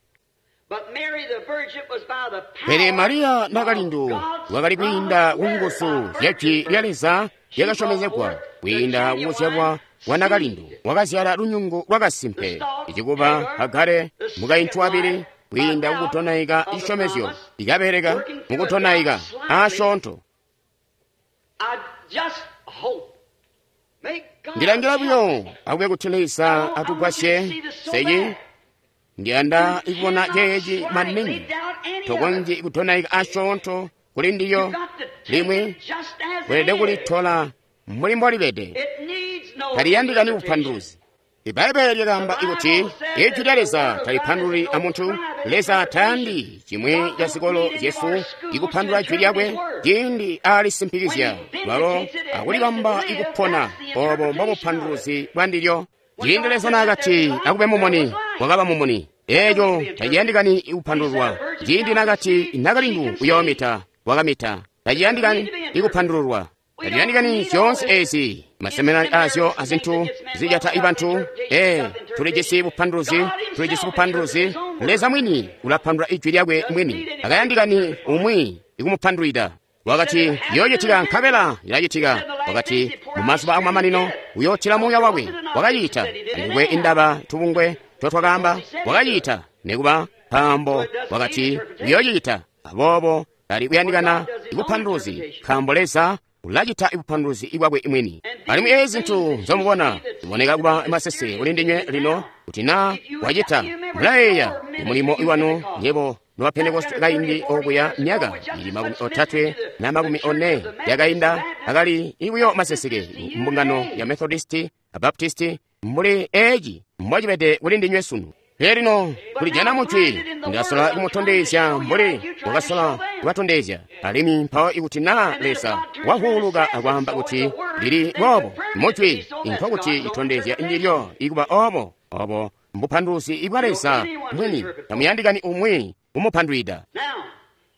Pele Mariya nakalindu wakali kwiinda kunguzu zya Jwi lya Leza lyakasyomezegwa, kwiinda kukuzyalwa kwa nakalindu wakazyala lunyungu lwakasimpe. Icikuba Hagare mukaintu wabili kwiinda kukutonaika cisyomezyo ikabeleka mukutonaika asyoonto. Ndilangila buyo akube kuti Leza atugwasye seyi. Ndiyanda ikubona ceeci maningi tokonzyi kutonaika asyoonto kuli ndiyo limwi weelede kulitola mbuli mbolibede. Taliyandikani bupanduluzi. Ibaibbele lyakaamba ikuti Ijwi lya Leza talipandululi amuntu. Leza tayandi cimwi ca zikolo zyesu ikupandula Jwi lyakwe ciindi alisimpikizya lwalo akulibamba ikupona. Obo mbobupanduluzi bwa ndilyo. Ciindi Leza naakati akube mumuni, kwakaba mumuni. Eeco taciyandikani ikupandululwa. Ciindi naakati nakalindu uyoomita, wakamita. Taciyandikani ikupandululwa. Taliyandikani zyoonse ezi maseminari azyo azintu zijata ibantu. Tulijisi bupanduluzi, tulijisi bupanduluzi. Leza mwini ulapandula Ijwi lyakwe mwini, akayandikani umwi ikumupandulwida. Wakati yoocitika nkabela ilacitika. Wakati mumazuba akumamanino uyootila muuya wakwe. Wakaciita andikwe indaba tubungwe totwakaamba. Wakaciita nekuba nkaambo wakati uyoociita. Aboobo tali kuyandikana ibupanduluzi, nkaambo Leza ulacita ibupanduluzi bwakwe mwini. Alimwi ezi zintu nzomubona ziboneka kuba masese kuli ndinywe lino, kuti naa wacita mulayeeya mulimo iwanu nyebo noba Pentekoste kaindi okuya myaka ili 30 na 40 yakainda, akali ibuyo maseseke mbungano ya Methodisti a Baptisti mbuli eci mbocibede kuli ndinywe sunu. Pele lino kulijana mujwi, ndasola kumutondezya mbuli wakasola kubatondezya. Alimwi mpawo ikuti naa Leza wahuuluka akwaamba kuti lili boobo mujwi, nkokuti itondezya ndilyo ikuba obo. Obo mbupanduluzi bwa Leza mwini, tamuyandikani umwi kumupandwida.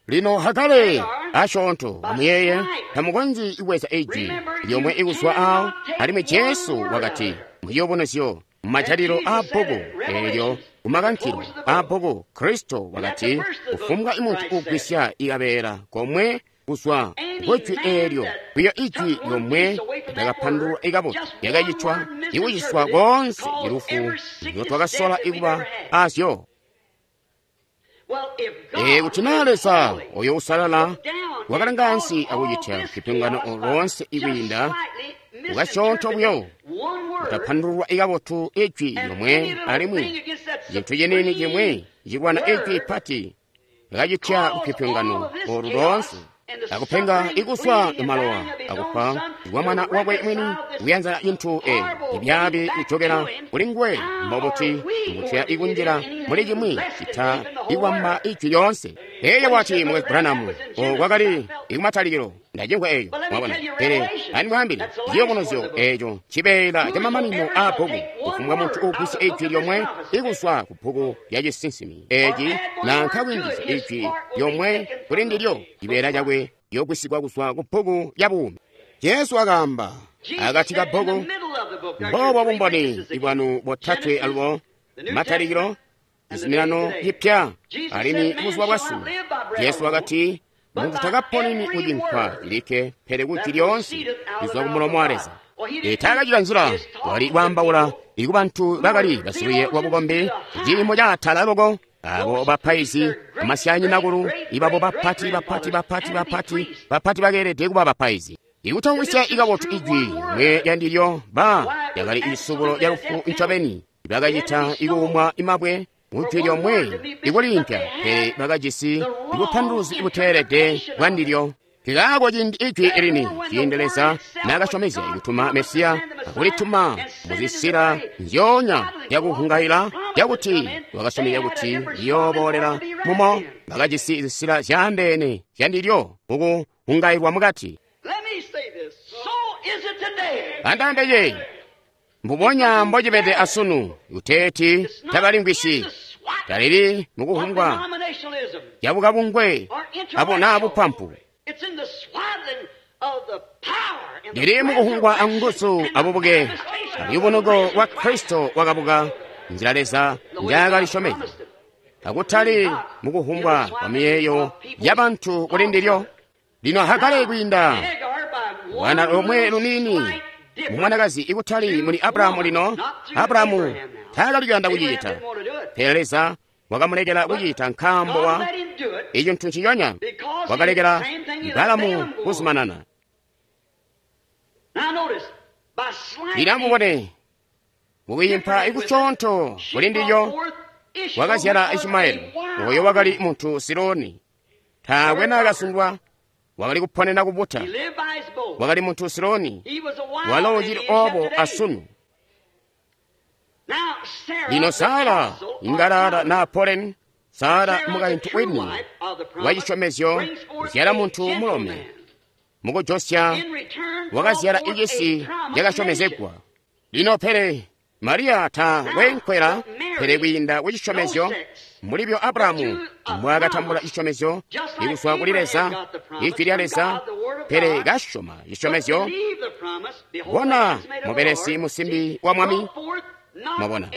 Lino Hagare Asyoonto, amuyeeye, tamukonzyi kubweza ijwi lyomwe ikuzwa awo. Alimwi Jesu wakati muyobonozyo mumajalilo aa bbuku eelyo, kumakankilo aa bbuku, Kristo wakati, kufumbwa muntu ugwisya ikabeela komwe kuzwa kujwi eelyo, kuyo ijwi lyomwe lyakapandulwa ikabotu lyakacitwa ikuciswa koonse ilufu ndotwakasola ikuba azyo. Kuti naa Leza oyo usalala wakalanga ansi akucitya lupyopyongano loonse ikwiinda ukasyoonto buyo kutapandululwa ikabotu ijwi lyomwe, alimwi cintu ciniini cimwe cilwana ijwi pati lyakacitya lupyopyongano olu loonse, akupenga ikuswa malowa akufa kwa mwana wakwe mwini, kuyanza cintu ibyaabi kujokela kuli nguwe, mbobuti mutya ikunjila muli cimwi cita ikwamba ijwi lyoonse. Eyo wati Mukwesu Branham, kwakali ikumatalikilo ndacimvwa eyo, mwabona. Pele andimwaambile, ciyubunuzyo eco cibeela camamanino aa bbuku. Kufumbwa muntu ugwisya ijwi lyomwe ikuzwa ku bbuku lya cisinsimi eci, nanka kwiingizya ijwi lyomwe kuli ndilyo, cibeela cakwe yogwisigwa kuzwa ku bbuku lya buumi. Jesu akaamba akati ka bbuku, mbobo bumboni bwanu botatwe alubo, matalikilo, cizuminano cipya, alimwi buzuba bwasunu. Jesu wakati, muntu takaponeni kucinkwa cilikke, pele kujwi lyoonse lizwa kumulomo wa Leza. Taakacita nzila wali kwaambaula ikubantu bakali basilwiye lwabukombi ciimo caatala loko, abo bapaizi amasyanyinakulu ibabo bapati bapati bapati bapati bapati bakeelede kuba bapaizi. Ikutamvwisya ikabotu ijwi mwe lyandilyo ba lyakali isubulo lya lufu ncobeni. Bakacita ikuumwa imabwe mujwi lyomwe ikuliimpya, pele bakajisi ibupanduluzi buteelede bwandilyo. Kikaako ciindi ijwi lini, ciindi Leza naakasyomezya kutuma Mesiya akulituma muzisila nzyoonya zyakuhungaila zyakuti wakasyomezya kuti liyooboolela mumo, bakajisi zisila zyaandeene zyandilyo mukuhungailwa mukati. Andaambe mbubonya mbocibede asunu, kuteeti tabalimvwisyi, talili mukuhungwa yabukabungwe abo naa bupampu, lili mukuhungwa anguzu abubuke aluyubunuko lwa Kristo wakabuka, nzila Leza njaakalisyomezya, akutali mukuhungwa kwa miyeeyo yabantu kuli ndilyo. Lino Hagare kwiinda lwana lomwe luniini mumwanakazi ikutali muli Abrahamu. Lino Abrahamu taakali kuyanda kucicita, pele Leza wakamulekela kucita nkaambo wa icintu nciconya wakalekela Balamu kuzumanana. Lino amubone, mukwiimpa ikucoonto kuli ndilyo wakazyala Ishimaeli, oyo wakali muntu Siloni. Taakwe naakasundwa, wakali kuponena kubuta, wakali muntu Siloni, walo ucili obo asunu. Lino Sara ingalala naa Polen, Sara mukaintu wini wacisyomezyo, kuzyala muntu mulome, mukujosya wakazyala icisi cakasyomezegwa. Lino pele Mariya ta wenkwela, pele kwiinda kucisyomezyo mulibyo Abrahamu mbwaakatambula cisyomezyo ikuzwa kuli Leza, ijwi lya Leza, pele kasyoma cisyomezyo. Bona mubelesi musimbi wa Mwami, mwabona,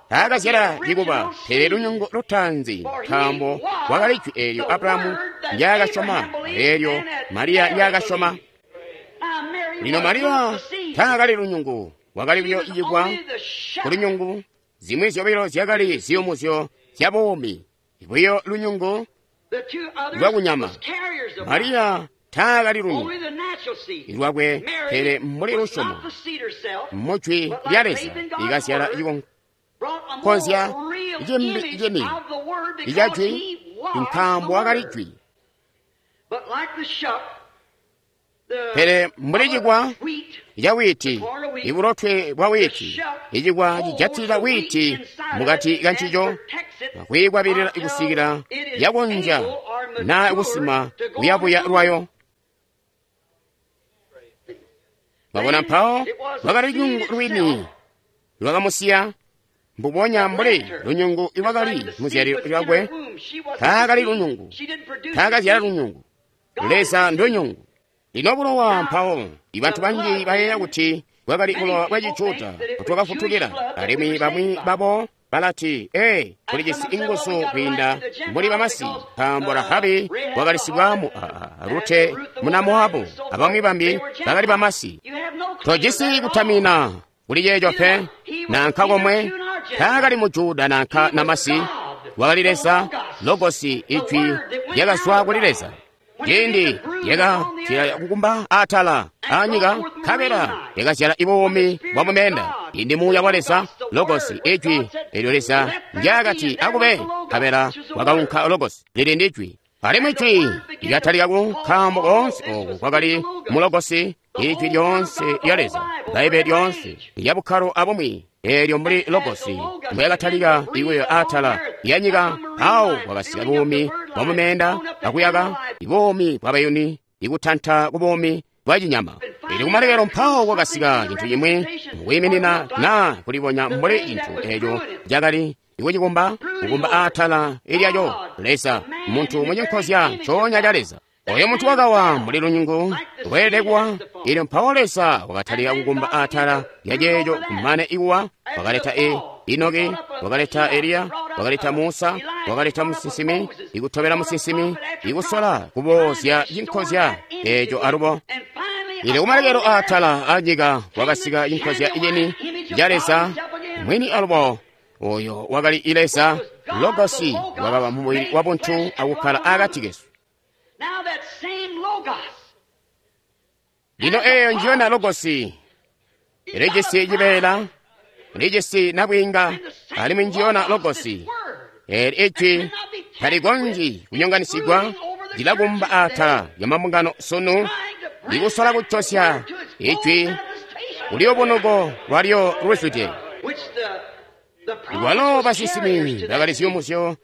taakazyala cikuba, pele lunyungu lutaanzi, nkaambo wakali jwi eelyo Abrahamu ndyaakasyoma, eelyo Mariya ndyaakasyoma. Lino Mariya taakali lunyungu, wakali buyo icikwa kulunyungu. Zimwi zyobilo zyakali ziyumuzyo zya buumi, buyo lunyungu lwakunyama. Mariya taakali lunyungu lwakwe, pele muli lusyomo mujwi lya Leza ikazyala cikonkozya cimbi cini icajwi, nkaambo wakali jwi. Pele mbuli cikwa ca wiiti, ibulotwe bwa wiiti, icikwa cijatilila wiiti mukati kancico akwiikwabilila kusikila yakonzya naa kusima kuyabuya lwayo. Mwabona, mpawo lwakali lunyungu lwini lwakamusiya, mbubonya mbuli lunyungu lwakali muzyalilo lyakwe. Taakali lunyungu, taakazyala lunyungu. Leza ndunyungu. Lino bulowa mpawo, ibantu banji bayeeya kuti bwakali bulowa bwa Cijuda butwakafutukila, alimwi bamwi babo balati, ee, kulijisi inguzu kwiinda mbuli bamasi, nkaambo Rahabi wakali sibwaamu, Rute muna Moabu, abamwi bambi bakali bamasi. Tojisi kutamina kuli ceeco pe, nanka komwe, taakali mu Juda nanka namasi, wakali Leza, Logosi, ijwi lyakazwa kuli Leza. Ciindi lyakatila kukumba atala anyika, nkabela lyakazyala ibuumi bwa mumenda. Indi Muuya wa Leza, Logosi, ijwi elyo Leza ndyakati akube, nkabela wakaunka Logosi, lili ndi jwi. Alimwi ijwi lyakatalika ku nkaambo koonse oku kwakali mu Logosi, ijwi lyoonse lya Leza, Bbaibbele lyoonse lya bukkalo abumwi, eelyo mbuli Logosi mbweyakatalika ikuya atala ya nyika, awo kwakasika buumi bwa mumenda akuyaka, ibuumi bwa bayuni, ikutanta ku buumi bwa cinyama. Ili kumalekelo mpawo kwakasika cintu cimwi mukwiiminina naa kulibonya mbuli cintu eeco cakali ikucikumba, kukumba atala ilyaco Leza, muntu mucinkozya ncoonya ca Leza. Oyo muntu wakawa mbuli lunyungu lweelede kuwa, ilyo mpawo Leza wakatalika kukumba atala lya ceeco kumane ikuwa, wakaleta Enoki, wakaleta Eliya, wakaleta Musa, wakaleta musinsimi, ikutobela musinsimi, ikusola kuboozya cinkozya eeco alubo. Ili kumalekelo atala anyika kwakasika cinkozya iceni ca Leza mwini alubo. Oyo wakali Leza, Logosi, wakaba mumubili wa buntu akukkala akati kesu. Lino eeyo njiyona Logosi, ilijisi cibeela, ilijisi nabwiinga, alimwi njiyona Logosi. Eeli ijwi talikonzyi kunyonganisigwa, lilakumba atala lya mabungano sunu, likusola kucosya ijwi kuliyubunuko lwalyo luzwide. Lwalo basinsimi bakali ziyumuzyo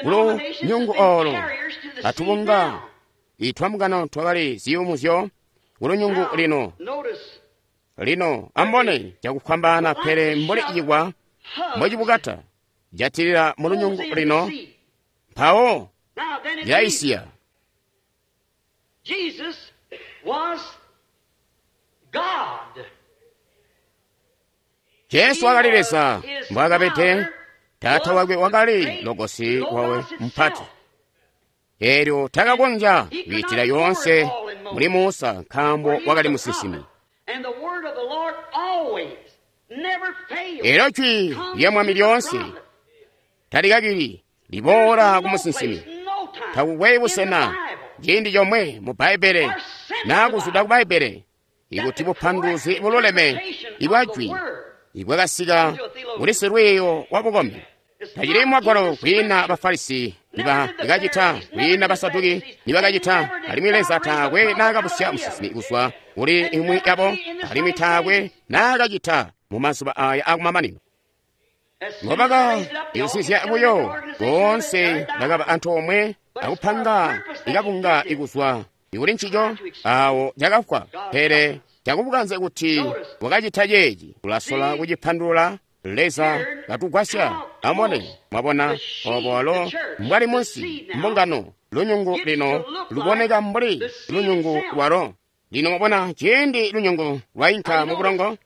kulunyungu oolo, atubunga itwamungano twakali ziyumuzyo kulunyungu lino. Lino ambone cakufwambaana, pele mbuli cikwa mbocibukata jatilila mulunyungu lino, mpawo lyaisiya. Jesu wakali Leza mbwaakabede, Taata wakwe wakali Logosi wawe mupati. Eelyo takakonzya kwiitila yoonse muli Musa nkaambo wakali musinsimi. Eelyo jwi lya Mwami lyoonse talikakili liboola ku musinsimi. Takukwe busena ciindi comwe mu Bbaibbele naa kuzwida ku Bbaibbele ikuti bupanduluzi bululeme ibwa jwi ibwakasika kuli silwiiyo wa bukombi. Tacili mwagwalo kwiina Bafarisi nibakacita, kwiina Basaduki nibakacita, alimwi Leza taakwe naakabusya musinsimi kuzwa kuli imwi yabo, alimwi taakwe naakacita mu mazuba aya akumamanino. Ngobakayusizya buyo boonse bakaba antoomwe akupanga ikabunga ikuzwa ikuli ncico awo cakafwa. Pele cakubukanze kuti wakacita ceeci, ulasola kucipandulula. Leza katugwasya. Amone, mwabona obo walo mbwali munsi mbungano, lunyungu lino luboneka mbuli lunyungu lwalo. Lino mwabona ciindi lunyungu lwainka mu bulongo,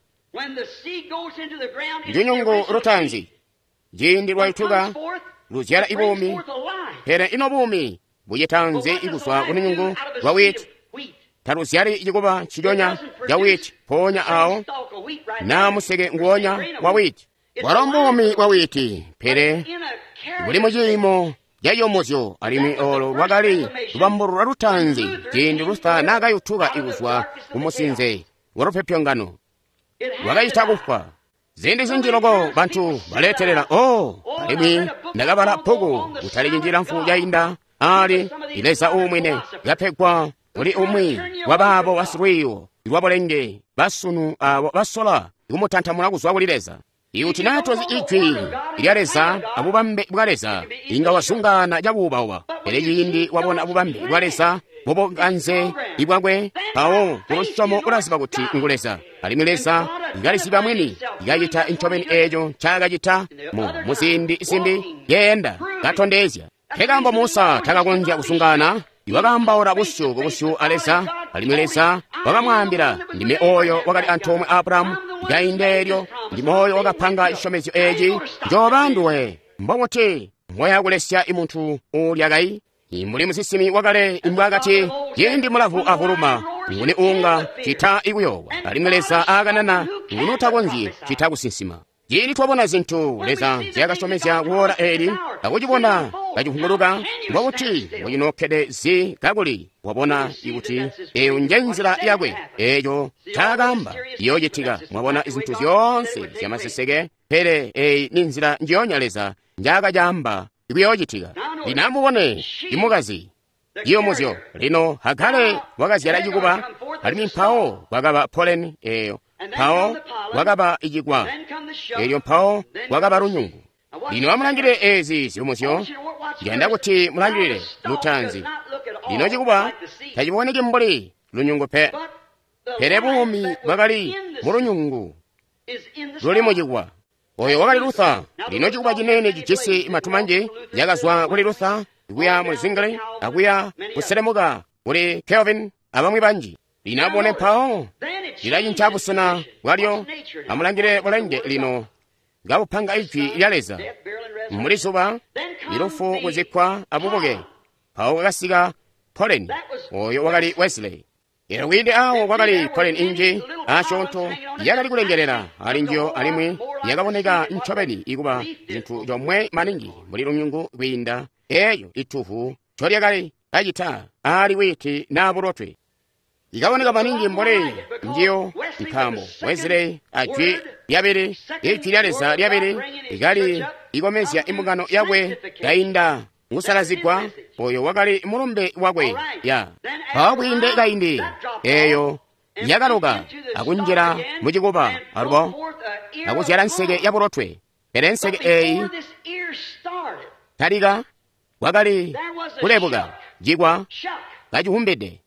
lunyungu lutaanzi, ciindi lwaituka luzyala ibuumi. Pele ino buumi bucitanzi ikuzwa ku lunyungu lwa witi? Taluzyali cikuba nciconya ca witi mpoonya awo, naa museke nguwonya wa witi. Bwalo mbuumi bwa witi, pele buli mu ciimo caciyumuzyo, alimwi olo lwakali lubambulula lutaanzi ciindi Luther naakayutuka ikuzwa ku musinze wa lupyopyongano, lwakacita kufwa. Ziindi zinji loko bantu baletelela, oh, alimwi ndakabala bbuku kutali cinji lamfu cainda ali Leza uumwine kapegwa kuli umwi wabaabo basilwiiyo lwabulenge basunu abo basola kumutantamula kuzwa kuli Leza. Ikuti naa tozi ijwi lya Leza abubambe bwa Leza, inga wazungaana cabuubauba. Pele ciindi wabona bubambe bwa Leza mubukanze bwakwe, mpawo kulusyomo ulaziba kuti ngu Leza. Alimwi Leza kaliziba mwini, kacita ncobeni eeco ncaakacita mu ziindi zimbi, keenda katondezya. Nkekaambo Musa takakonzya kuzungaana. iwakaambaula busyu kubusyu a Leza, alimwi Leza wakamwaambila, ndime oyo wakali antoomwe a Abrahamu kaindi eelyo, ndime oyo wakapanga cisyomezyo eeci, njooba nduwe. Mbobuti mboya kulesya imuntu uulya kai? Mbuli musinsimi wakale imbwaakati, ciindi mulavu avuluma, nguni uunga cita ikuyoowa, alimwi Leza aakanana, nguni utakonzyi cita kusinsima. Ciindi twabona zintu Leza nzyaakasyomezya kuwoola eeli, akucibona kacivunguluka, mbobuti mbocinookkede zi kakuli wabona ikuti eyo nje nzila yakwe, eeco ncaakaamba iyoocitika. Mwabona zintu zyoonse zyamaseseke, pele eyi ni nzila njionya Leza njaakacaamba ikuyoocitika. Lino amubone imukazi ciyumuzyo. Lino Hagare wakazyala cikuba, alimwi mpawo kwakaba poleni eeyo, mpawo kwakaba icikwa, eelyo mpawo kwakaba lunyungu. Lino amulangilile eezi ziyumuzyo. Ndiyanda kuti mulangilile lutaanzi. Lino cikuba taciboneki mbuli lunyungu pe, pele buumi bwakali mulunyungu luli mucikwa. Oyo wakali Luther. Lino cikuba cinene cijisi matu manji yakazwa kuli Luther kuya mu Zwingli, akuya kuselemuka kuli Calvin abamwi banji. Lino abone mpawo lilacinca busena bwalyo. Amulangile bulenge lino kabupanga ijwi lya Leza muli zuba ilufu kuzikkwa abubuke. Mpawo kwakasika poleni, oyo wakali Wesley. Elo kwiinde awo kwakali poleni inji asyoonto yakali kulengelela ali njiyo, alimwi yakaboneka ncobeni ikuba cintu comwe maningi mbuli lunyungu kwiinda eyo ituvu ncolyakali kacita ali wiiti naa bulotwe. Ikaboneka maningi mbuli njiyo nkaambo Wesley ajwi lyabili, ijwi lya Leza lyabili ikali ikomezya imbungano yakwe kainda ngusalazigwa. Oyo wakali mulumbe wakwe ya. Mpawo kwiinde kaindi eyo yakaloka akunjila mucikuba alubo akuzyala nseke ya bulotwe. Pele nseke eyi talika kwakali kulebuka cikwa kacihumbide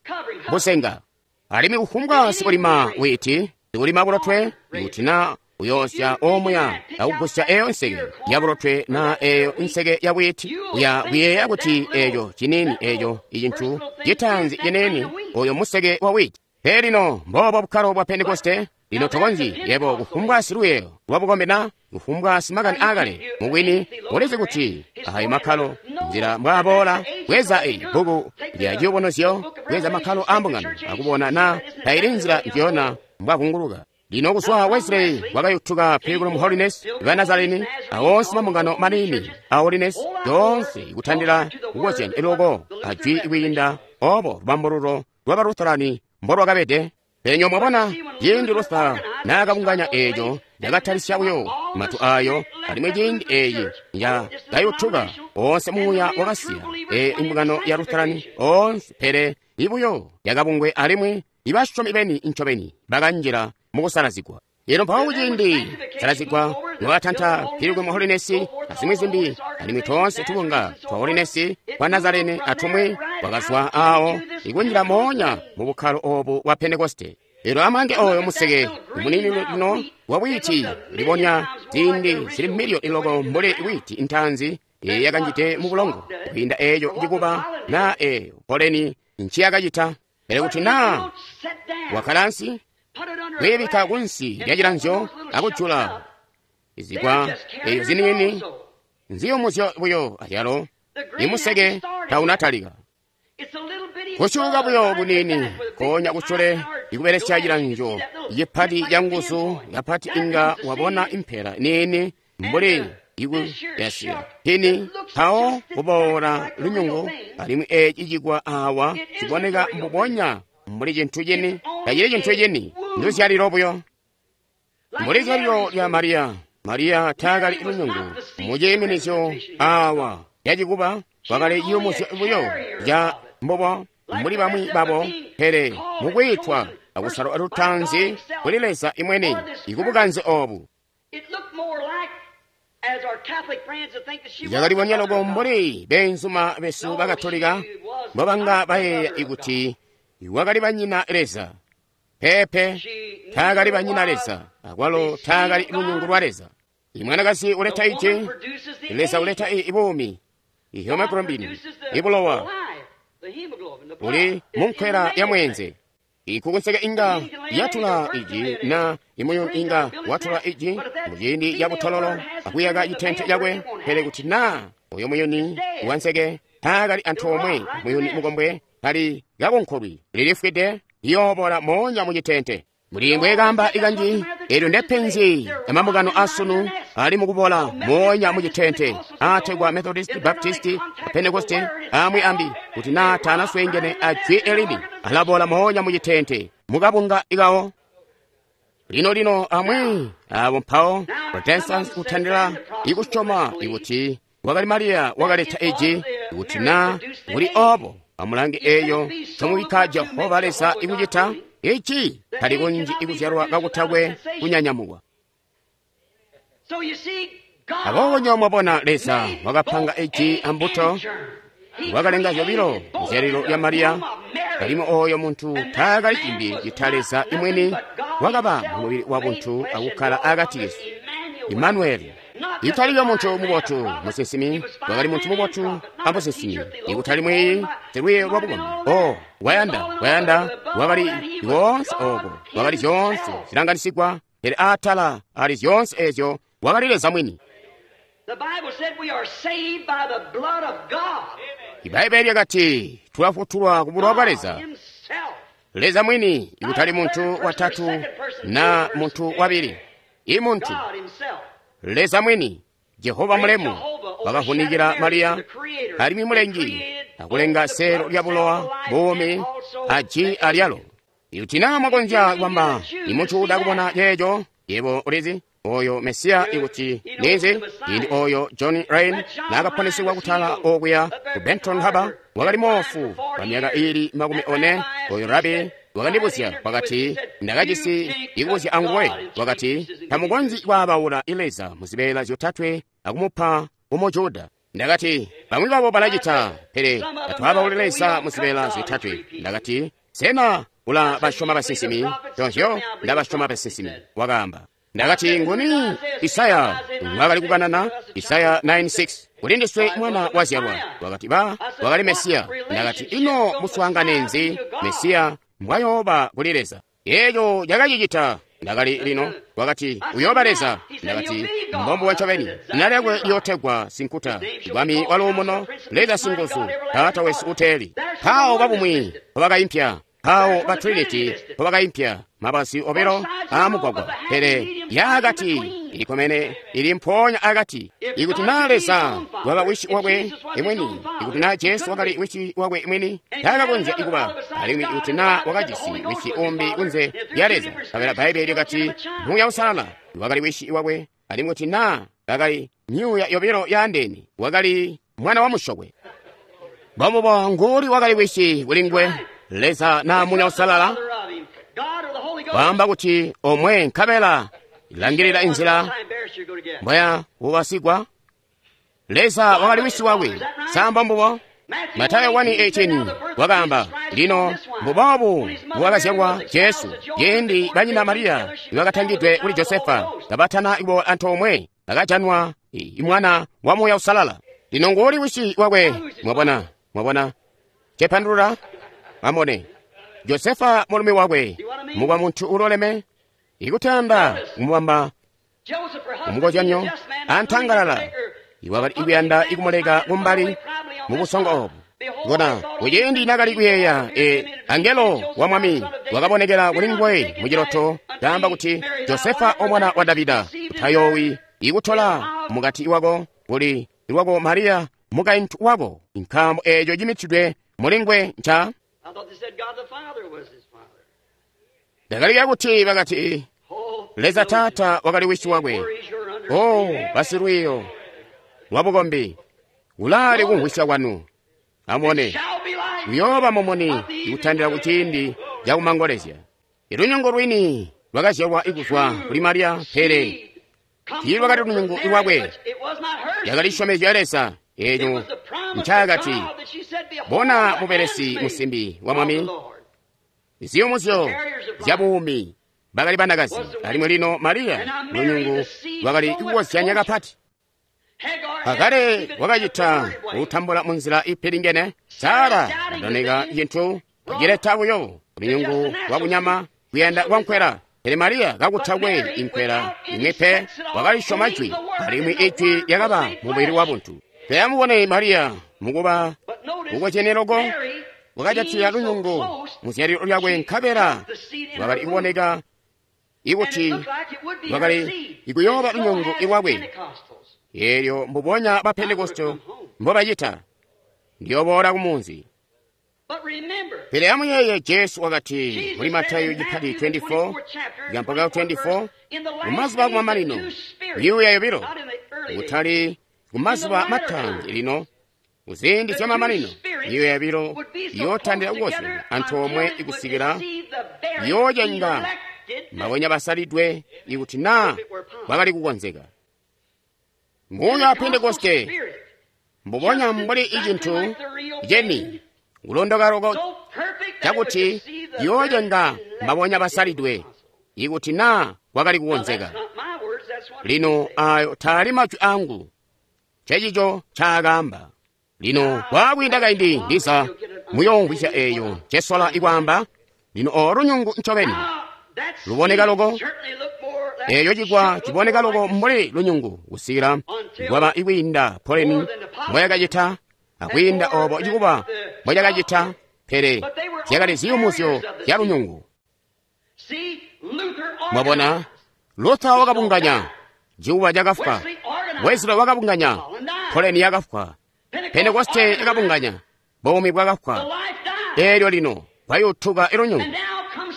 busenga. Alimwi kufumbwa sikulima wiiti, sikulima bulotwe, kuti na uyoosya omuya akugusya eyo nseke ya bulotwe na eyo nseke ya bwiti, uya kuyeeya kuti eco cinini eco icintu citaanzi cinini oyo museke wa witi. Pele lino mboobo bukkalo bwa Pentekoste. Lino tokonzyi yebo kufumbwa siluyeyo lwabukombi na kufumbwa simakani aakale mubwini ulizi kuti ayo makkalo nzila mbwaaboola bweza eyi bbuku lya ciyubunuzyo, bweza makkalo a mbungano akubona na taili nzila njiyona mbwavunguluka. Lino kuzwa Wesley wakayutuka Pilgrim Holiness, ba Nazarene, awonse mambungano manini a Holiness, yoonse ikutandila kukozyanya eloko ajwi kwiinda obo lubambululo lwa Lutherani mbolwakabede. Pele mwabona ciindi Luther naakabunganya eeco yakatalisya buyo matu ayo, alimwi ciindi eyi yakayutuka onse muuya wakasiya eyo imbungano ya Lutherani onse, pele ibuyo yakabungwe alimwi ibasyomi beni ncobeni bakanjila mukusalazigwa. Lino mpawo kuciindi salazigwa nowatanta Pilgrim Holiness azimwi zimbi, alimwi toonse tubunga twa Holiness kwa Nazarene atumwi kwakazwa awo ikunjila moonya mu bukkalo obu bwa Pentekoste. Lino amange oyo museke munini lino wa bwiti libonya ziindi zili miliyoni loko mbuli bwiti ntaanzi yakanjide mu bulongo kwiinda eyo cikuba na eyo poleni nciyakacita. Pele kuti na wakkala ansi kwiibikka kunsi lya cilanzyo akujula izikwa eyo ziniini nziyumuzyo buyo azyalo imuseke taunatalika. Kusyuka buyo bunini konya kusyule ikubelesya cilanzyo cipati ca nguzu kapati inga wabona impela niini mbuli ikuyasya pini mpawo kuboola lunyungu, alimwi eeci cikwa awa ciboneka mbubonya mbuli cintu cini, tacili cintu cini, nduzyalilo buyo. Mbuli zyalilo lya Mariya, Mariya taakali lunyungu muciiminizyo awa lyacikuba, kwakali ciyumuzyo buyo ca mbubo mbuli bamwi babo, pele mukwiitwa akusalwa lutaanzi kuli Leza imwene ikubukanze obu. Yakalibonya loko mbuli beenzuma besu bakatolika mbobanga bayeeya ikuti wakali banyina Leza. Pepe, taakali banyina Leza, akwalo taakali lunyungu lwa Leza. Imwanakazi uleta iji, Leza uleta ibuumi, ihemoglobin, ibulowa. Uli munkwela ya mweenze. Ikukunseke inga yatula iji na imuyuni inga watula iji muciindi ca butololo akuyaka citente cakwe, pele kuti na oyo muyuni wanseke taakali antoomwe muyuni mukombwe kali kakonkolwi lilifwide liyoobola moonya mucitente. Muli kamba ikanji elyo ndepenzi amambungano asunu ali mukubola moonya mucitente ategwa Methodist, Baptist, Pentecost amwi ambi kuti na tanaswengene ajwi elini alabola moonya mucitente mukabunga ikawo. Lino lino amwi abo mpawo Protestants kutandila ikusyoma ikuti wakali Mariya wakaleta iji kuti na kuli obo amulange eyo comubikka Jehova Leza ikucita ichi tali kunji ikuzyalwa kakutakwe kunyanyamukwa. Aboobo nyo mwabona Leza wakapanga iji ambuto wakalenga zyobilo muzyalilo lya Mariya, alimwi oyo muntu taakali cimbi cita Leza imwini wakaba mumubili wa buntu akukkala akati kesu. Imanueli italiyo muntu mubotu musinsimi, wakali muntu mubotu amusinsimi, ikutali mwiyi silwiyo lwa bukombi. O wayanda wayanda wakali woonse oko wakali zyoonse zilanganisigwa, pele atala ali zyoonse ezyo wakali Leza mwini. Ibaibbele lyakati tulafutulwa ku bulowa bwa Leza. Leza mwini ikutali muntu watatu na muntu wabili, i muntu Leza mwini Jehova mulemu wakavunikila Mariya alimwi mulengi akulenga selo lya bulowa buumi aji alyalo. Ikuti na mwakonzya kwamba imuntu udakubona ceeco, yebo ulizi oyo Mesiya ikuti ninzi indi oyo John Rain naakaponesewa kutala okuya ku Benton Harbor wakali moofu kwa myaka ili 40. Oyo rabi wakandibuzya wakati ndakajisi ikubuzya anguwe wakati tamukonzyi kwaabaula Leza muzibeela zyotatwe akumupa umujuda. Ndakati bamwi babo balacita, pele tatwaabauli Leza muzibeela zyotatwe. Ndakati sena ula basyoma basinsimi? Tonzyo ndabasyoma basinsimi, wakaamba. Ndakati nguni Isaya mwakali kukanana Isaya 9:6 kuli ndiswe mwana wazyalwa. Wakati ba wakali Mesiya. Ndakati ino muswaangane nzi Mesiya mbwayooba kuli Leza? Eeco cakacicita. Ndakali lino wakati uyooba Leza. Ndakati mbombuwa ncobeni zina lyakwe liyootegwa Sinkuta, Bwami wa luumuno, Leza Singuzu, Taata wesu uteeli. Mpawo babumwi mpobakaimpya, mpawo ba Trinity mpobakaimpya mabazi obilo aamugwagwa, pele yaakati ilikomene ili mpoonya akati. Ikuti na Leza waba wishi wakwe imwini, ikuti na Jesu wakali wishi wakwe imwini, taakakonzya ikuba. Alimwi ikuti na wakajisi wishi umbi kunze lya Leza, kabela Bbaibele lyakati Muuya Uusalala wakali wishi wakwe, alimwi kuti na kakali myuuya yobilo yaandeene, wakali mwana wa musyokwe. Mbombubo nguli wakali wishi kuli nguwe, Leza na Muuya Uusalala? Waamba kuti omwe nkabela ilangilila inzila mbwaya ubasigwa. Leza wakali wisi wakwe, samba mbubo. Matayo 1:18 wakaamba lino mbubobu mbwakazyalwa Jesu ciindi banyina Mariya nibakatangidwe kuli Josefa kabatana ibo antoomwe bakajanwa imwana wa Muuya Uusalala. Lino nguli wisi wakwe, mwabona, mwabona cepandulula amone Josefa mulumi wakwe mukwa muntu uloleme ikutanda kumubamba umukozyanyo antangalala iwakali ikuyanda ikumuleka kumbali mubusongo obu. Bona kuciindi nakali kuyeeya angelo wa mwami wakabonekela kuli nguwe muciloto kaamba kuti Josefa omwana wa Davida utayoowi ikutola mukati wako kuli lwako Mariya mukaintu wako, nkaambo eeco cimitidwe muli nguwe nca. Ndakalika kuti bakati Leza Taata wakali wisi wakwe. O basilwiiyo lwabukombi ulaali kumvwisya kwanu. Amubone uyooba mumuni ikutandila kuciindi cakumangolezya. Ilunyungu lwini lwakazyalwa ikuzwa kuli Mariya, pele tiilwakali lunyungu lwakwe. Lyakali cisyomezyo ya Leza eeco ncaakati bona mubelesi musimbi wa mwami ziyumuzyo zyabuumi bakali banakazi, alimwi lino Mariya lunyungu lwakali kukozyanya kapati. Hagare wakacita kutambula munzila ipilingene. Sara kadoneka cintu cileta buyo lunyungu lwakunyama kuyanda kwankwela. Pele Mariya kakutakwe inkwela imwe pe wakalisyoma jwi, alimwi ijwi lyakaba mubili wabuntu. Pele amubone Mariya mukuba kukozyene loko wakajatila lunyungu muzyalilo lyakwe, nkabela lwakali kuboneka ikuti lwakali ikuyooba lunyungu lwakwe. Eelyo mbubonya ba Pentekoste mbobacita, ndiyoboola kumunzi. Pele amuyeeye Jesu wakati muli Matayo chipati 24 mpaka 24, mumazuba akumamanino myuuya yobilo, kutali kumazuba mataanzi lino, kuziindi zyamamanino myuuya yobilo iyootandila kukozyana antoomwe ikusikila yoocenga mabonya basalidwe ikuti naa kwakali kukonzeka. Muuya wa Pentekoste mbubonya mbuli icintu ceni kulondoka loko cakuti yoocenga mabonya basalidwe ikuti naa kwakali kukonzeka. Lino ayo taali majwi angu, cecico ncaakaamba. Lino kwaakwiinda kaindi ndiza muyoomvwisya eeyo ncesola ikwaamba. Lino olo lunyungu ncobeni luboneka loko, eeyo cikwa ciboneka loko mbuli lunyungu kusikila lwaba ikwiinda poleni mboyakacita akwiinda obo cikuba mboyakacita, pele zyakali ziyumuzyo zya lunyungu. Mwabona, Luther wakabunganya, cikuba cakafwa. Wesley wakabunganya, poleni yakafwa. Pentekoste yakabunganya, buumi bwakafwa. Eelyo lino kwayutuka ilunyungu,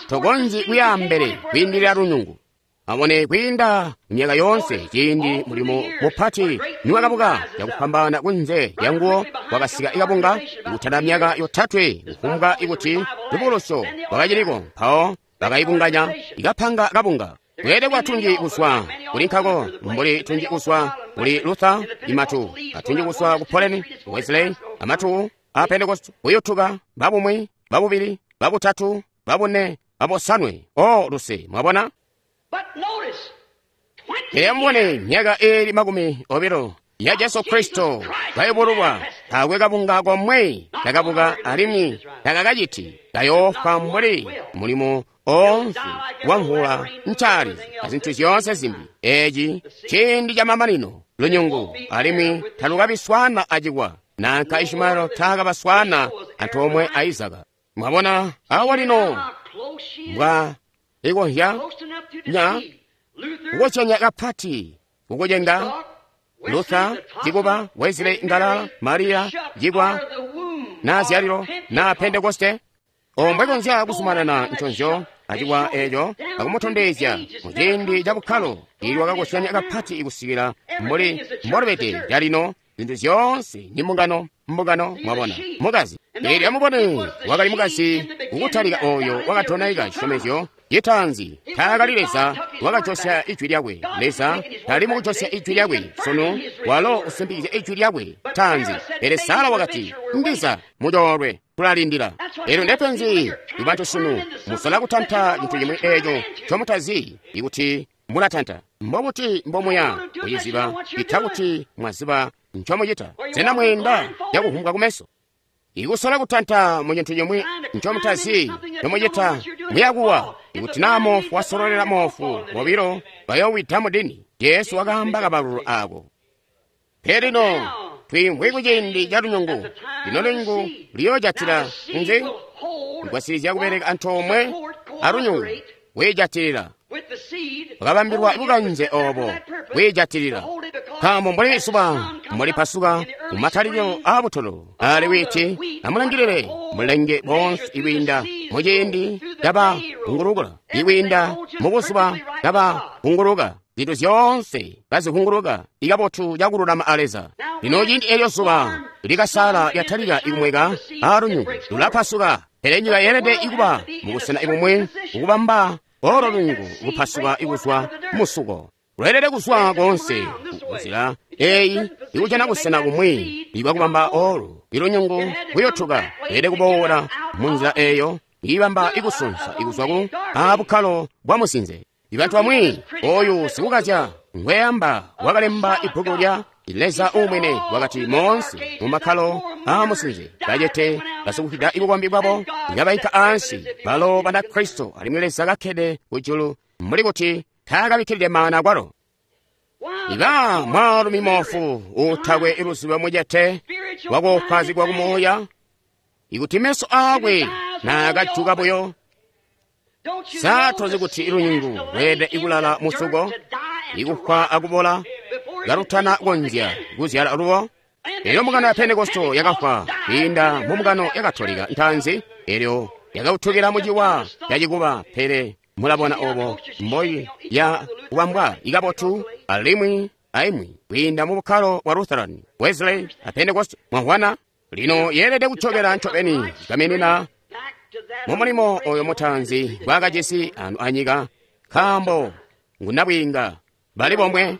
tokonzyi kuyaambele kwiindilila lunyungu. Amone kwiinda myaka yoonse ciindi mulimo mupati niwakabuka cakufwambaana kunze lyanguwo kwakasika ikabunga kutala myaka yotatwe kufumbwa ikuti lubukulusyo lwakaciliko, mpawo bakayibunganya ikapanga kabunga. Kweelede kuba tunji kuzwa kuli nkako mbuli tunji kuzwa kuli Luther imatu, atunji kuzwa ku Poleni, Wesley, amatu a Pentecost kuyutuka babumwi, babubili, babutatu, babune, babosanwe. O luse, mwabona? Pele amubone myaka eeli 20 ya Jesu Kristo kayubululwa, taakwe kabunga komwe kakabuka alimwi takakaciti kayoofwa mbuli mulimo oonse wamvula ncaali azintu zyoonse zimbi. Eeci ciindi camamanino lunyungu alimwi talukabiswana acikwa, nanka Ishimaelo taakabaswana antoomwe a Izaka. Mwabona awa lino mbwa ikonzya nya kukozyanya kapati kukucenga Luther cikuba, Wesley ngalala, Maria cikwa, na zyalilo na Pentekoste. Ombwe konzya kuzumanana nconzyo acikwa eeco akumutondezya muciindi ca bukkalo ilwakakozyanya kapati kusikila mbuli mbolubede calino. Zintu zyoonse ni mbungano, mbungano, mwabona mukazi. Eelyo amubone wakali mukazi kukutalika oyo wakatonaika cisyomezyo citaanzi. Taakali Leza wakajosya ijwi lyakwe. Leza tali mukujosya ijwi lyakwe sunu, walo usimpikizya ijwi lyakwe taanzi. Pele Sara wakati, ndiza mucoolwe tulalindila. Eelyo ndepenzi ibantu sunu, musola kutanta cintu cimwi eeco ncomutazi ikuti mulatanta. Mbobuti mbomuya kuciziba ita kuti mwaziba ncomucita? Sena mweenda cakuvumbwa kumeso? Ikusola kutanta mu cintu cimwi ncomutazi ncomucita, muyakuwa. Ikuti naa moofu wasololela moofu, bobilo bayoowida mudini. Jesu wakaamba kabalulu aako. Pele lino twiimvwi kuciindi ca lunyungu. Lino lunyungu luyoojatila nzi? Kugwasilizya kubeleka antoomwe alunyungu kwiijatilila. Wakabambilwa bukanze oobo kwiijatilila. Nkaambo mbuli zuba mbolipasuka kumatalikilo aabutolo, ali witi amulangilile mulenge boonse ikwiinda muciindi kabahungulukula, ikwiinda mubuzuba kabahunguluka, zintu zyoonse kazihunguluka ikabotu cakululama a Leza. Lino ciindi eelyo zuba likasala lyatalika ikumweka aalunyungu lulapasuka, pele nyika yeelede ikuba mubusena ibumwi kukubamba olo lunyungu kupasuka ikuzwa musuko. Lweelede kuzwa koonse kunzila eeyi ikujana busena bumwi ibwakubamba olu ilunyungu kuyotuka. Lweelede kuboola munzila eeyo ibamba ikusunsa ikuzwa ku abukkalo bwa musinze. Ibantu bamwi oyu sikukazya ngweyamba wakalemba ibbuku lya Leza umwene wakati moonse mu makkalo aamusinze bacete basikufwida bukombi bwabo ngabaika ansi balo Banakristo alimwi Leza kakkede kujulu mbuli kuti taakabikkilide maana kwalo. Iba mwaalumi moofu utakwe luzibo mucete wakoopazigwa kumuuya ikuti meso aakwe naakajuka buyo saatozi kuti lunyungu lweelede ikulala musuko ikufwa akubola kalutana konzya kuzyala lubo. Elyo mbungano ya Pentekosto yakafwa kwiinda mu mbungano ya Katolika ntaanzi, elyo yakautukila muciwa cacikuba. Pele mulabona obo mboyi ya kubambwa ikabotu alimwi aimwi kwiinda mu bukkalo bwa Lutheran, Wesley a Pentecost. Mwamvwana? Lino yeelede kucokela ncobeni kamenena mu mulimo oyo mutaanzi gwakajisi anu anyika, nkaambo ngunabwiinga bali bomwe.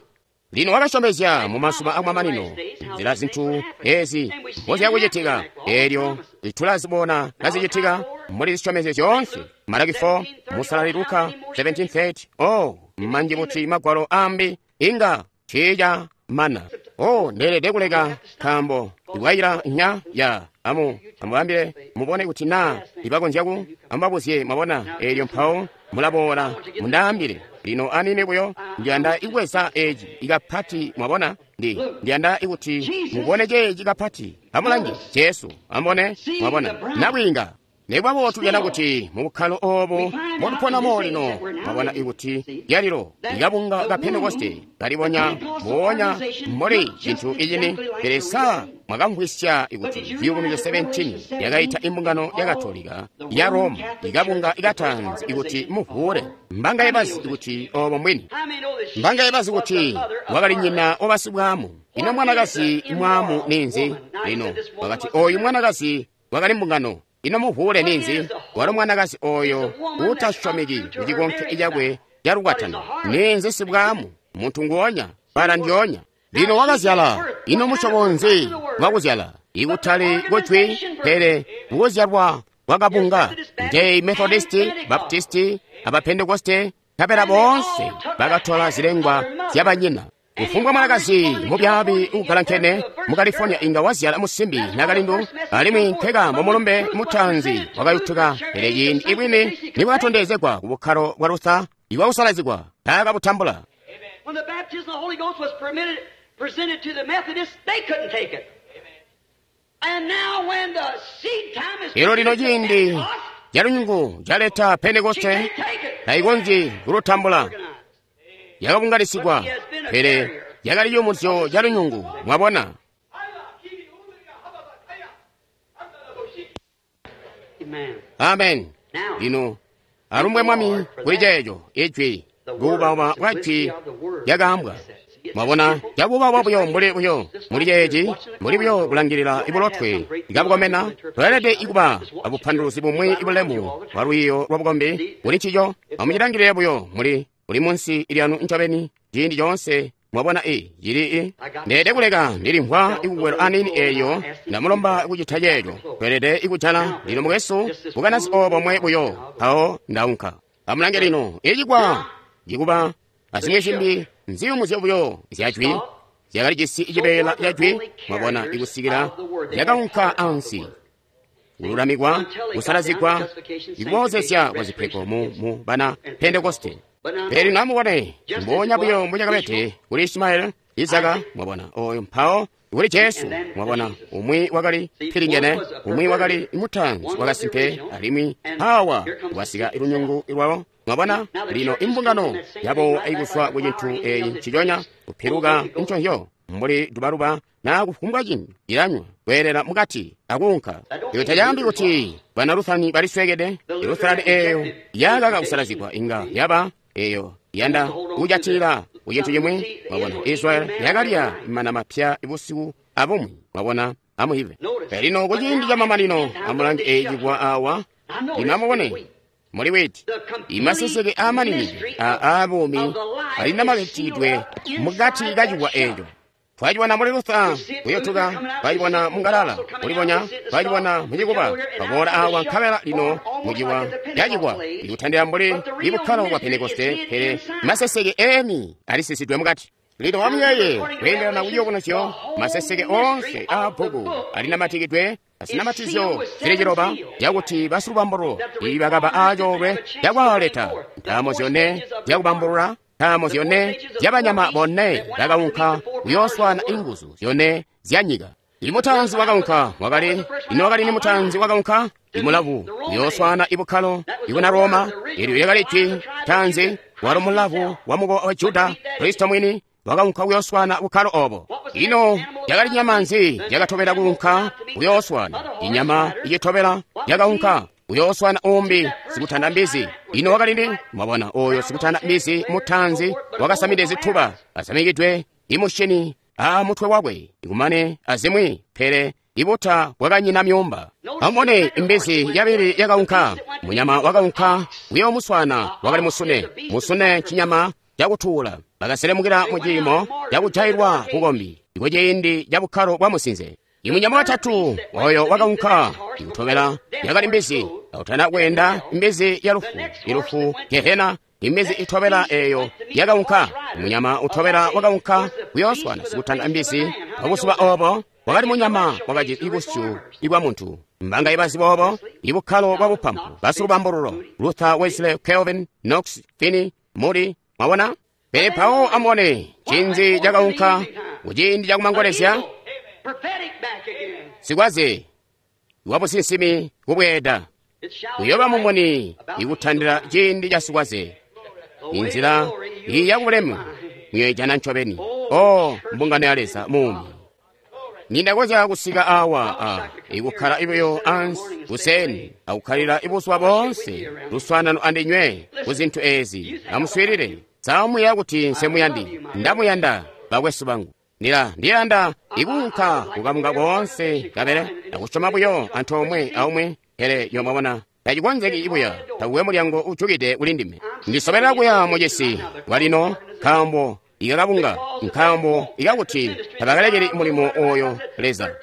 Lino wakasyomezya mu mazuba akumamanino nzila zintu ezi mboziyakucitika, elyo tulazibona kazicitika muli zisyomezyo zyoonse. Malaki 4, Musalali Luka 17:30. Oh, manji buti magwalo ambi inga ciija mana. Oh, ndeelede kuleka nkaambo iwayila nya ya amu amubambile mubone kuti naa ibakonzya ku amubabuzye mwabona. Elyo mpawo mulaboola mundaambile. Lino anini buyo ndiyanda ikweza eci ikapati mwabona. Ndiyanda ikuti mubone ceeci kapati. Amulange Jesu amubone mwabona nabwiinga. Nekuba tuyanda kuti mu bukkalo obo mbotuponamo lino mwabona ikuti lyalilo likabunga ka Pentekoste kalibonya mbubonya mbuli cintu icini. Pele sa mwakamvwisya ikuti Ciyubunuzyo 17 yakaita imbungano ya Katolika ya Roma ikabunga ikatanzi ikuti muvuule. Mbanga yebazi ikuti obo mbwini. Mbanga yebazi kuti wakali nyina wabasibwamu. Ino mwanakazi mwamu ninzi? Lino wakati oyu mwanakazi wakali mbungano. Ino muvuule ninzi? Walo mwanakazi oyo utasyomeki kucikonke cakwe calukwatano. Ninzi sibwamu? Muntu nguonya, bala ndyonya. Lino wakazyala. Ino musyobo nzi wakuzyala? Ikutali kujwi, pele kuzyalwa kwakabunga. Njeyi Methodisti, Baptisti, aba Pentekoste, nkabela boonse bakatola zilengwa zyabanyina. Kufumbwa mwanakazi mubyaabi uugalankene mu California inga wazyala musimbi nakalindu, alimwi nkeka mulumbe mutaanzi wakayutuka. Pele ciindi ibwini nibwatondezegwa ku bukkalo bwa Luther iwakusalazigwa taakabutambula. When the baptism of the Holy Ghost was presented to the Methodists, they couldn't take it. And now when the seed time is Elo lino ciindi calunyungu caleta Pentekoste taikonzyi kulutambula. Yakabunganisigwa, pele yakali ciyumuzyo ca lunyungu. Mwabona? Amen. Lino alumbwe Mwami kuli ceeco ijwi kuubauma bwa jwi lyakaambwa. Mwabona, cakuubauma buyo mbuli buyo muli ceeci, mbuli buyo kulangilila ibulotwe ikabukomena. Tweelede ikuba abupanduluzi bumwi ibulemu bwa lwiiyo lwa bukombi kuli ncico. Amucilangilile buyo muli uli munsi ilyanu ncobeni ciindi coonse. Mwabona cili ndeede kuleka ndilimvwa ikukwelo anini eyo ndamulomba kucita ceeco. Tweelede ikujala lino mukwesu bukanazi obo mwe buyo mpawo ndaunka. Amulange lino icikwa cikuba azimwi cimbi nziyumuzyo buyo zyajwi zyakali cisi cibeela cajwi. Mwabona ikusikila yakaunka ansi kululamikwa kusalazigwa ikuboozesya kwa zipego mu bana Pentekoste. Pele lino amubone mbonya buyo mbucakabede kuli Ishimaeli, Izaka, mwabona oyo mpawo kuli Jesu. Mwabona umwi wakali pilingene, umwi wakali mutaanzi wakasimpe, alimwi hawa wasika ilunyungu lwawo. Mwabona lino imbungano yabo ikuzwa ku cintu eyi nciconya kupiluka nconzyo mbuli dubaluba na kufumbwa cimbi ilanywa kweelela mukati akuunka. Iyo tacaambi kuti bana Luthani baliswekede. Luthani eyo yakaka kusalazigwa inga yaba eyo yanda kujatilila ku cintu cimwi. Mwabona Israeli yakalya mana mapya ibusiku abumwi. Mwabona amuhive. Lino kuciindi ca mamanino amulange eyi awa. Lino amubone muli witi imaseseke amaningi a buumi alinamakicidwe mukati kacikwa eco. Twacibona muli Luther kuyotuka, twacibona mungalala kulibonya, twacibona mucikuba baboola awa nkabela lino muciwa cacikwa ikutandila mbuli ibukkalo bwa Pentekoste. Pele maseseke eni alisisidwe mukati. Lino amuyeeye, kweendelana kuyubunuzyo, maseseke oonse aa bbuku alinamatikidwe azinamatizyo zili ciloba, zyakuti basilubambululo ibakaba aacoolwe cakwaaleta ntaamo zyone zyakubambulula, ntaamo zyone zyabanyama bone bakaunka kuyooswaana inguzu zyone zyanyika. Imutaanzi wakaunka wakali, ino wakali ni mutaanzi wakaunka? Imulavu kuyooswaana ibukkalo ibuna Roma. Elyo lyakali jwi taanzi, walo mulavu wa mukowa wa Juda, Kristo mwini wakaunka kuyooswaana bukkalo obo. Ino yakali nyama nzi yakatobela kuunka kuyooswaana? Inyama icitobela yakaunka kuyooswaana umbi sikutanda mbizi. Ino wakali ndi? Mwabona, oyo sikutanda mbizi mutaanzi wakasamide zituba, asamikidwe imushini a mutwe wakwe, ikumane azimwi, pele ibuta bwakanyina myuumba. Amubone, imbizi yabili yakaunka, munyama wakaunka kuyoomuswaana wakali musune. Musune cinyama cakutuula. Bakaselemukila mu ciimo cakujailwa bukombi kuciindi ca bukkalo bwa musinze. Imunyama watatu oyo wakaunka ikutobela yakali mbizi, akutana kweenda imbizi ya lufu, ilufu Gehena. Imbizi itobela eyo yakaunka, munyama utobela wakaunka kuyooswana sikutanda mbizi. Pabuzuba obo wakali munyama wakajisi ibusyu ibwa muntu. Mbanga ibazi boobo ibukkalo bwa bupampu, basilubambululo Luther, Wesley, Calvin, Knox, Finney, Moody. Mwabona? Pele mpawo amubone cinzi cakaunka kuciindi cakumangolezya, sikwaze wabusinsimi kubweeda kuyoba mumuni ikutandila ciindi ca sikwaze. Inzila iyi yakubulemu muyoijana ncobeni. O mbungano ya Leza muumi, nindakonzya kusika awa a ikukkala ibuyo ansi kuseni akukkalila ibuzuba boonse luswaanano andinywe ku zintu ezi. Amuswiilile. Samuya kuti nsemuyandi, ndamuyanda bakwesu bangu. Ndiyanda ikuunka kukamunga koonse kabele akusyoma buyo antoomwe aumwi, pele yomwabona tacikonzeki ibuya, takuwe mulyango ujukide kuli ndime. Ndisobelela kuya mucisi walino nkaambo ikakabunga, nkaambo ikakuti tabakalekeli mulimo oyo Leza.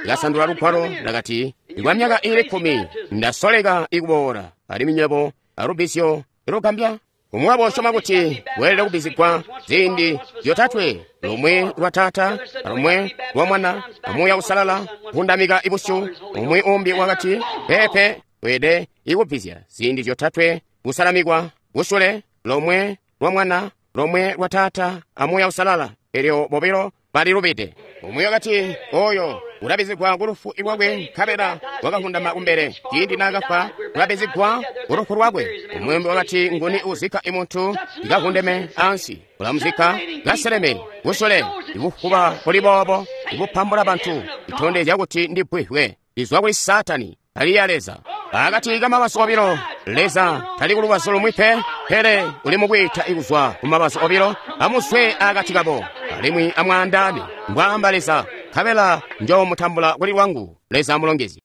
Ndakasandula lugwalo ndakati, kwa myaka iili 10 ndasoleka ikuboola, alimwi nywebo alubizyo lugambya. Umwi wabo usyoma kuti weelede kubizigwa ziindi zyotatwe, lumwi lwa Taata, lumwi lwa Mwana, amuuya Usalala, kundamika ibusyu. Umwi umbi wakati, pepe, weelede ikubizya ziindi zyotatwe, kusalamikwa kusule, lomwe lwa Mwana, lomwe lwa Taata, amuuya Usalala. Elyo bobilo balilubide. Umwi wakati, oyo ulabizigwa kulufu lwakwe, nkabela wakahundama kumbele ciindi naakafwa, ulabizigwa kulufu lwakwe. Umwi wakati, nguni uzikka imuntu ikahundeme ansi, ulamuzikka kaseleme kusule. Ibufuba buli boobo ibupambula bantu itondezya kuti ndi bbwihwe lizwa kuli Satani, tali ya Leza. Akati kamabazu obilo, Leza tali kulubazu lumwi pe, pele uli mukwiita ikuzwa kumabazu obilo. Amuswe akati kabo, alimwi amwaandaane, mbwaamba Leza, nkabela njoomutambula kuli lwangu. Leza amulongezye.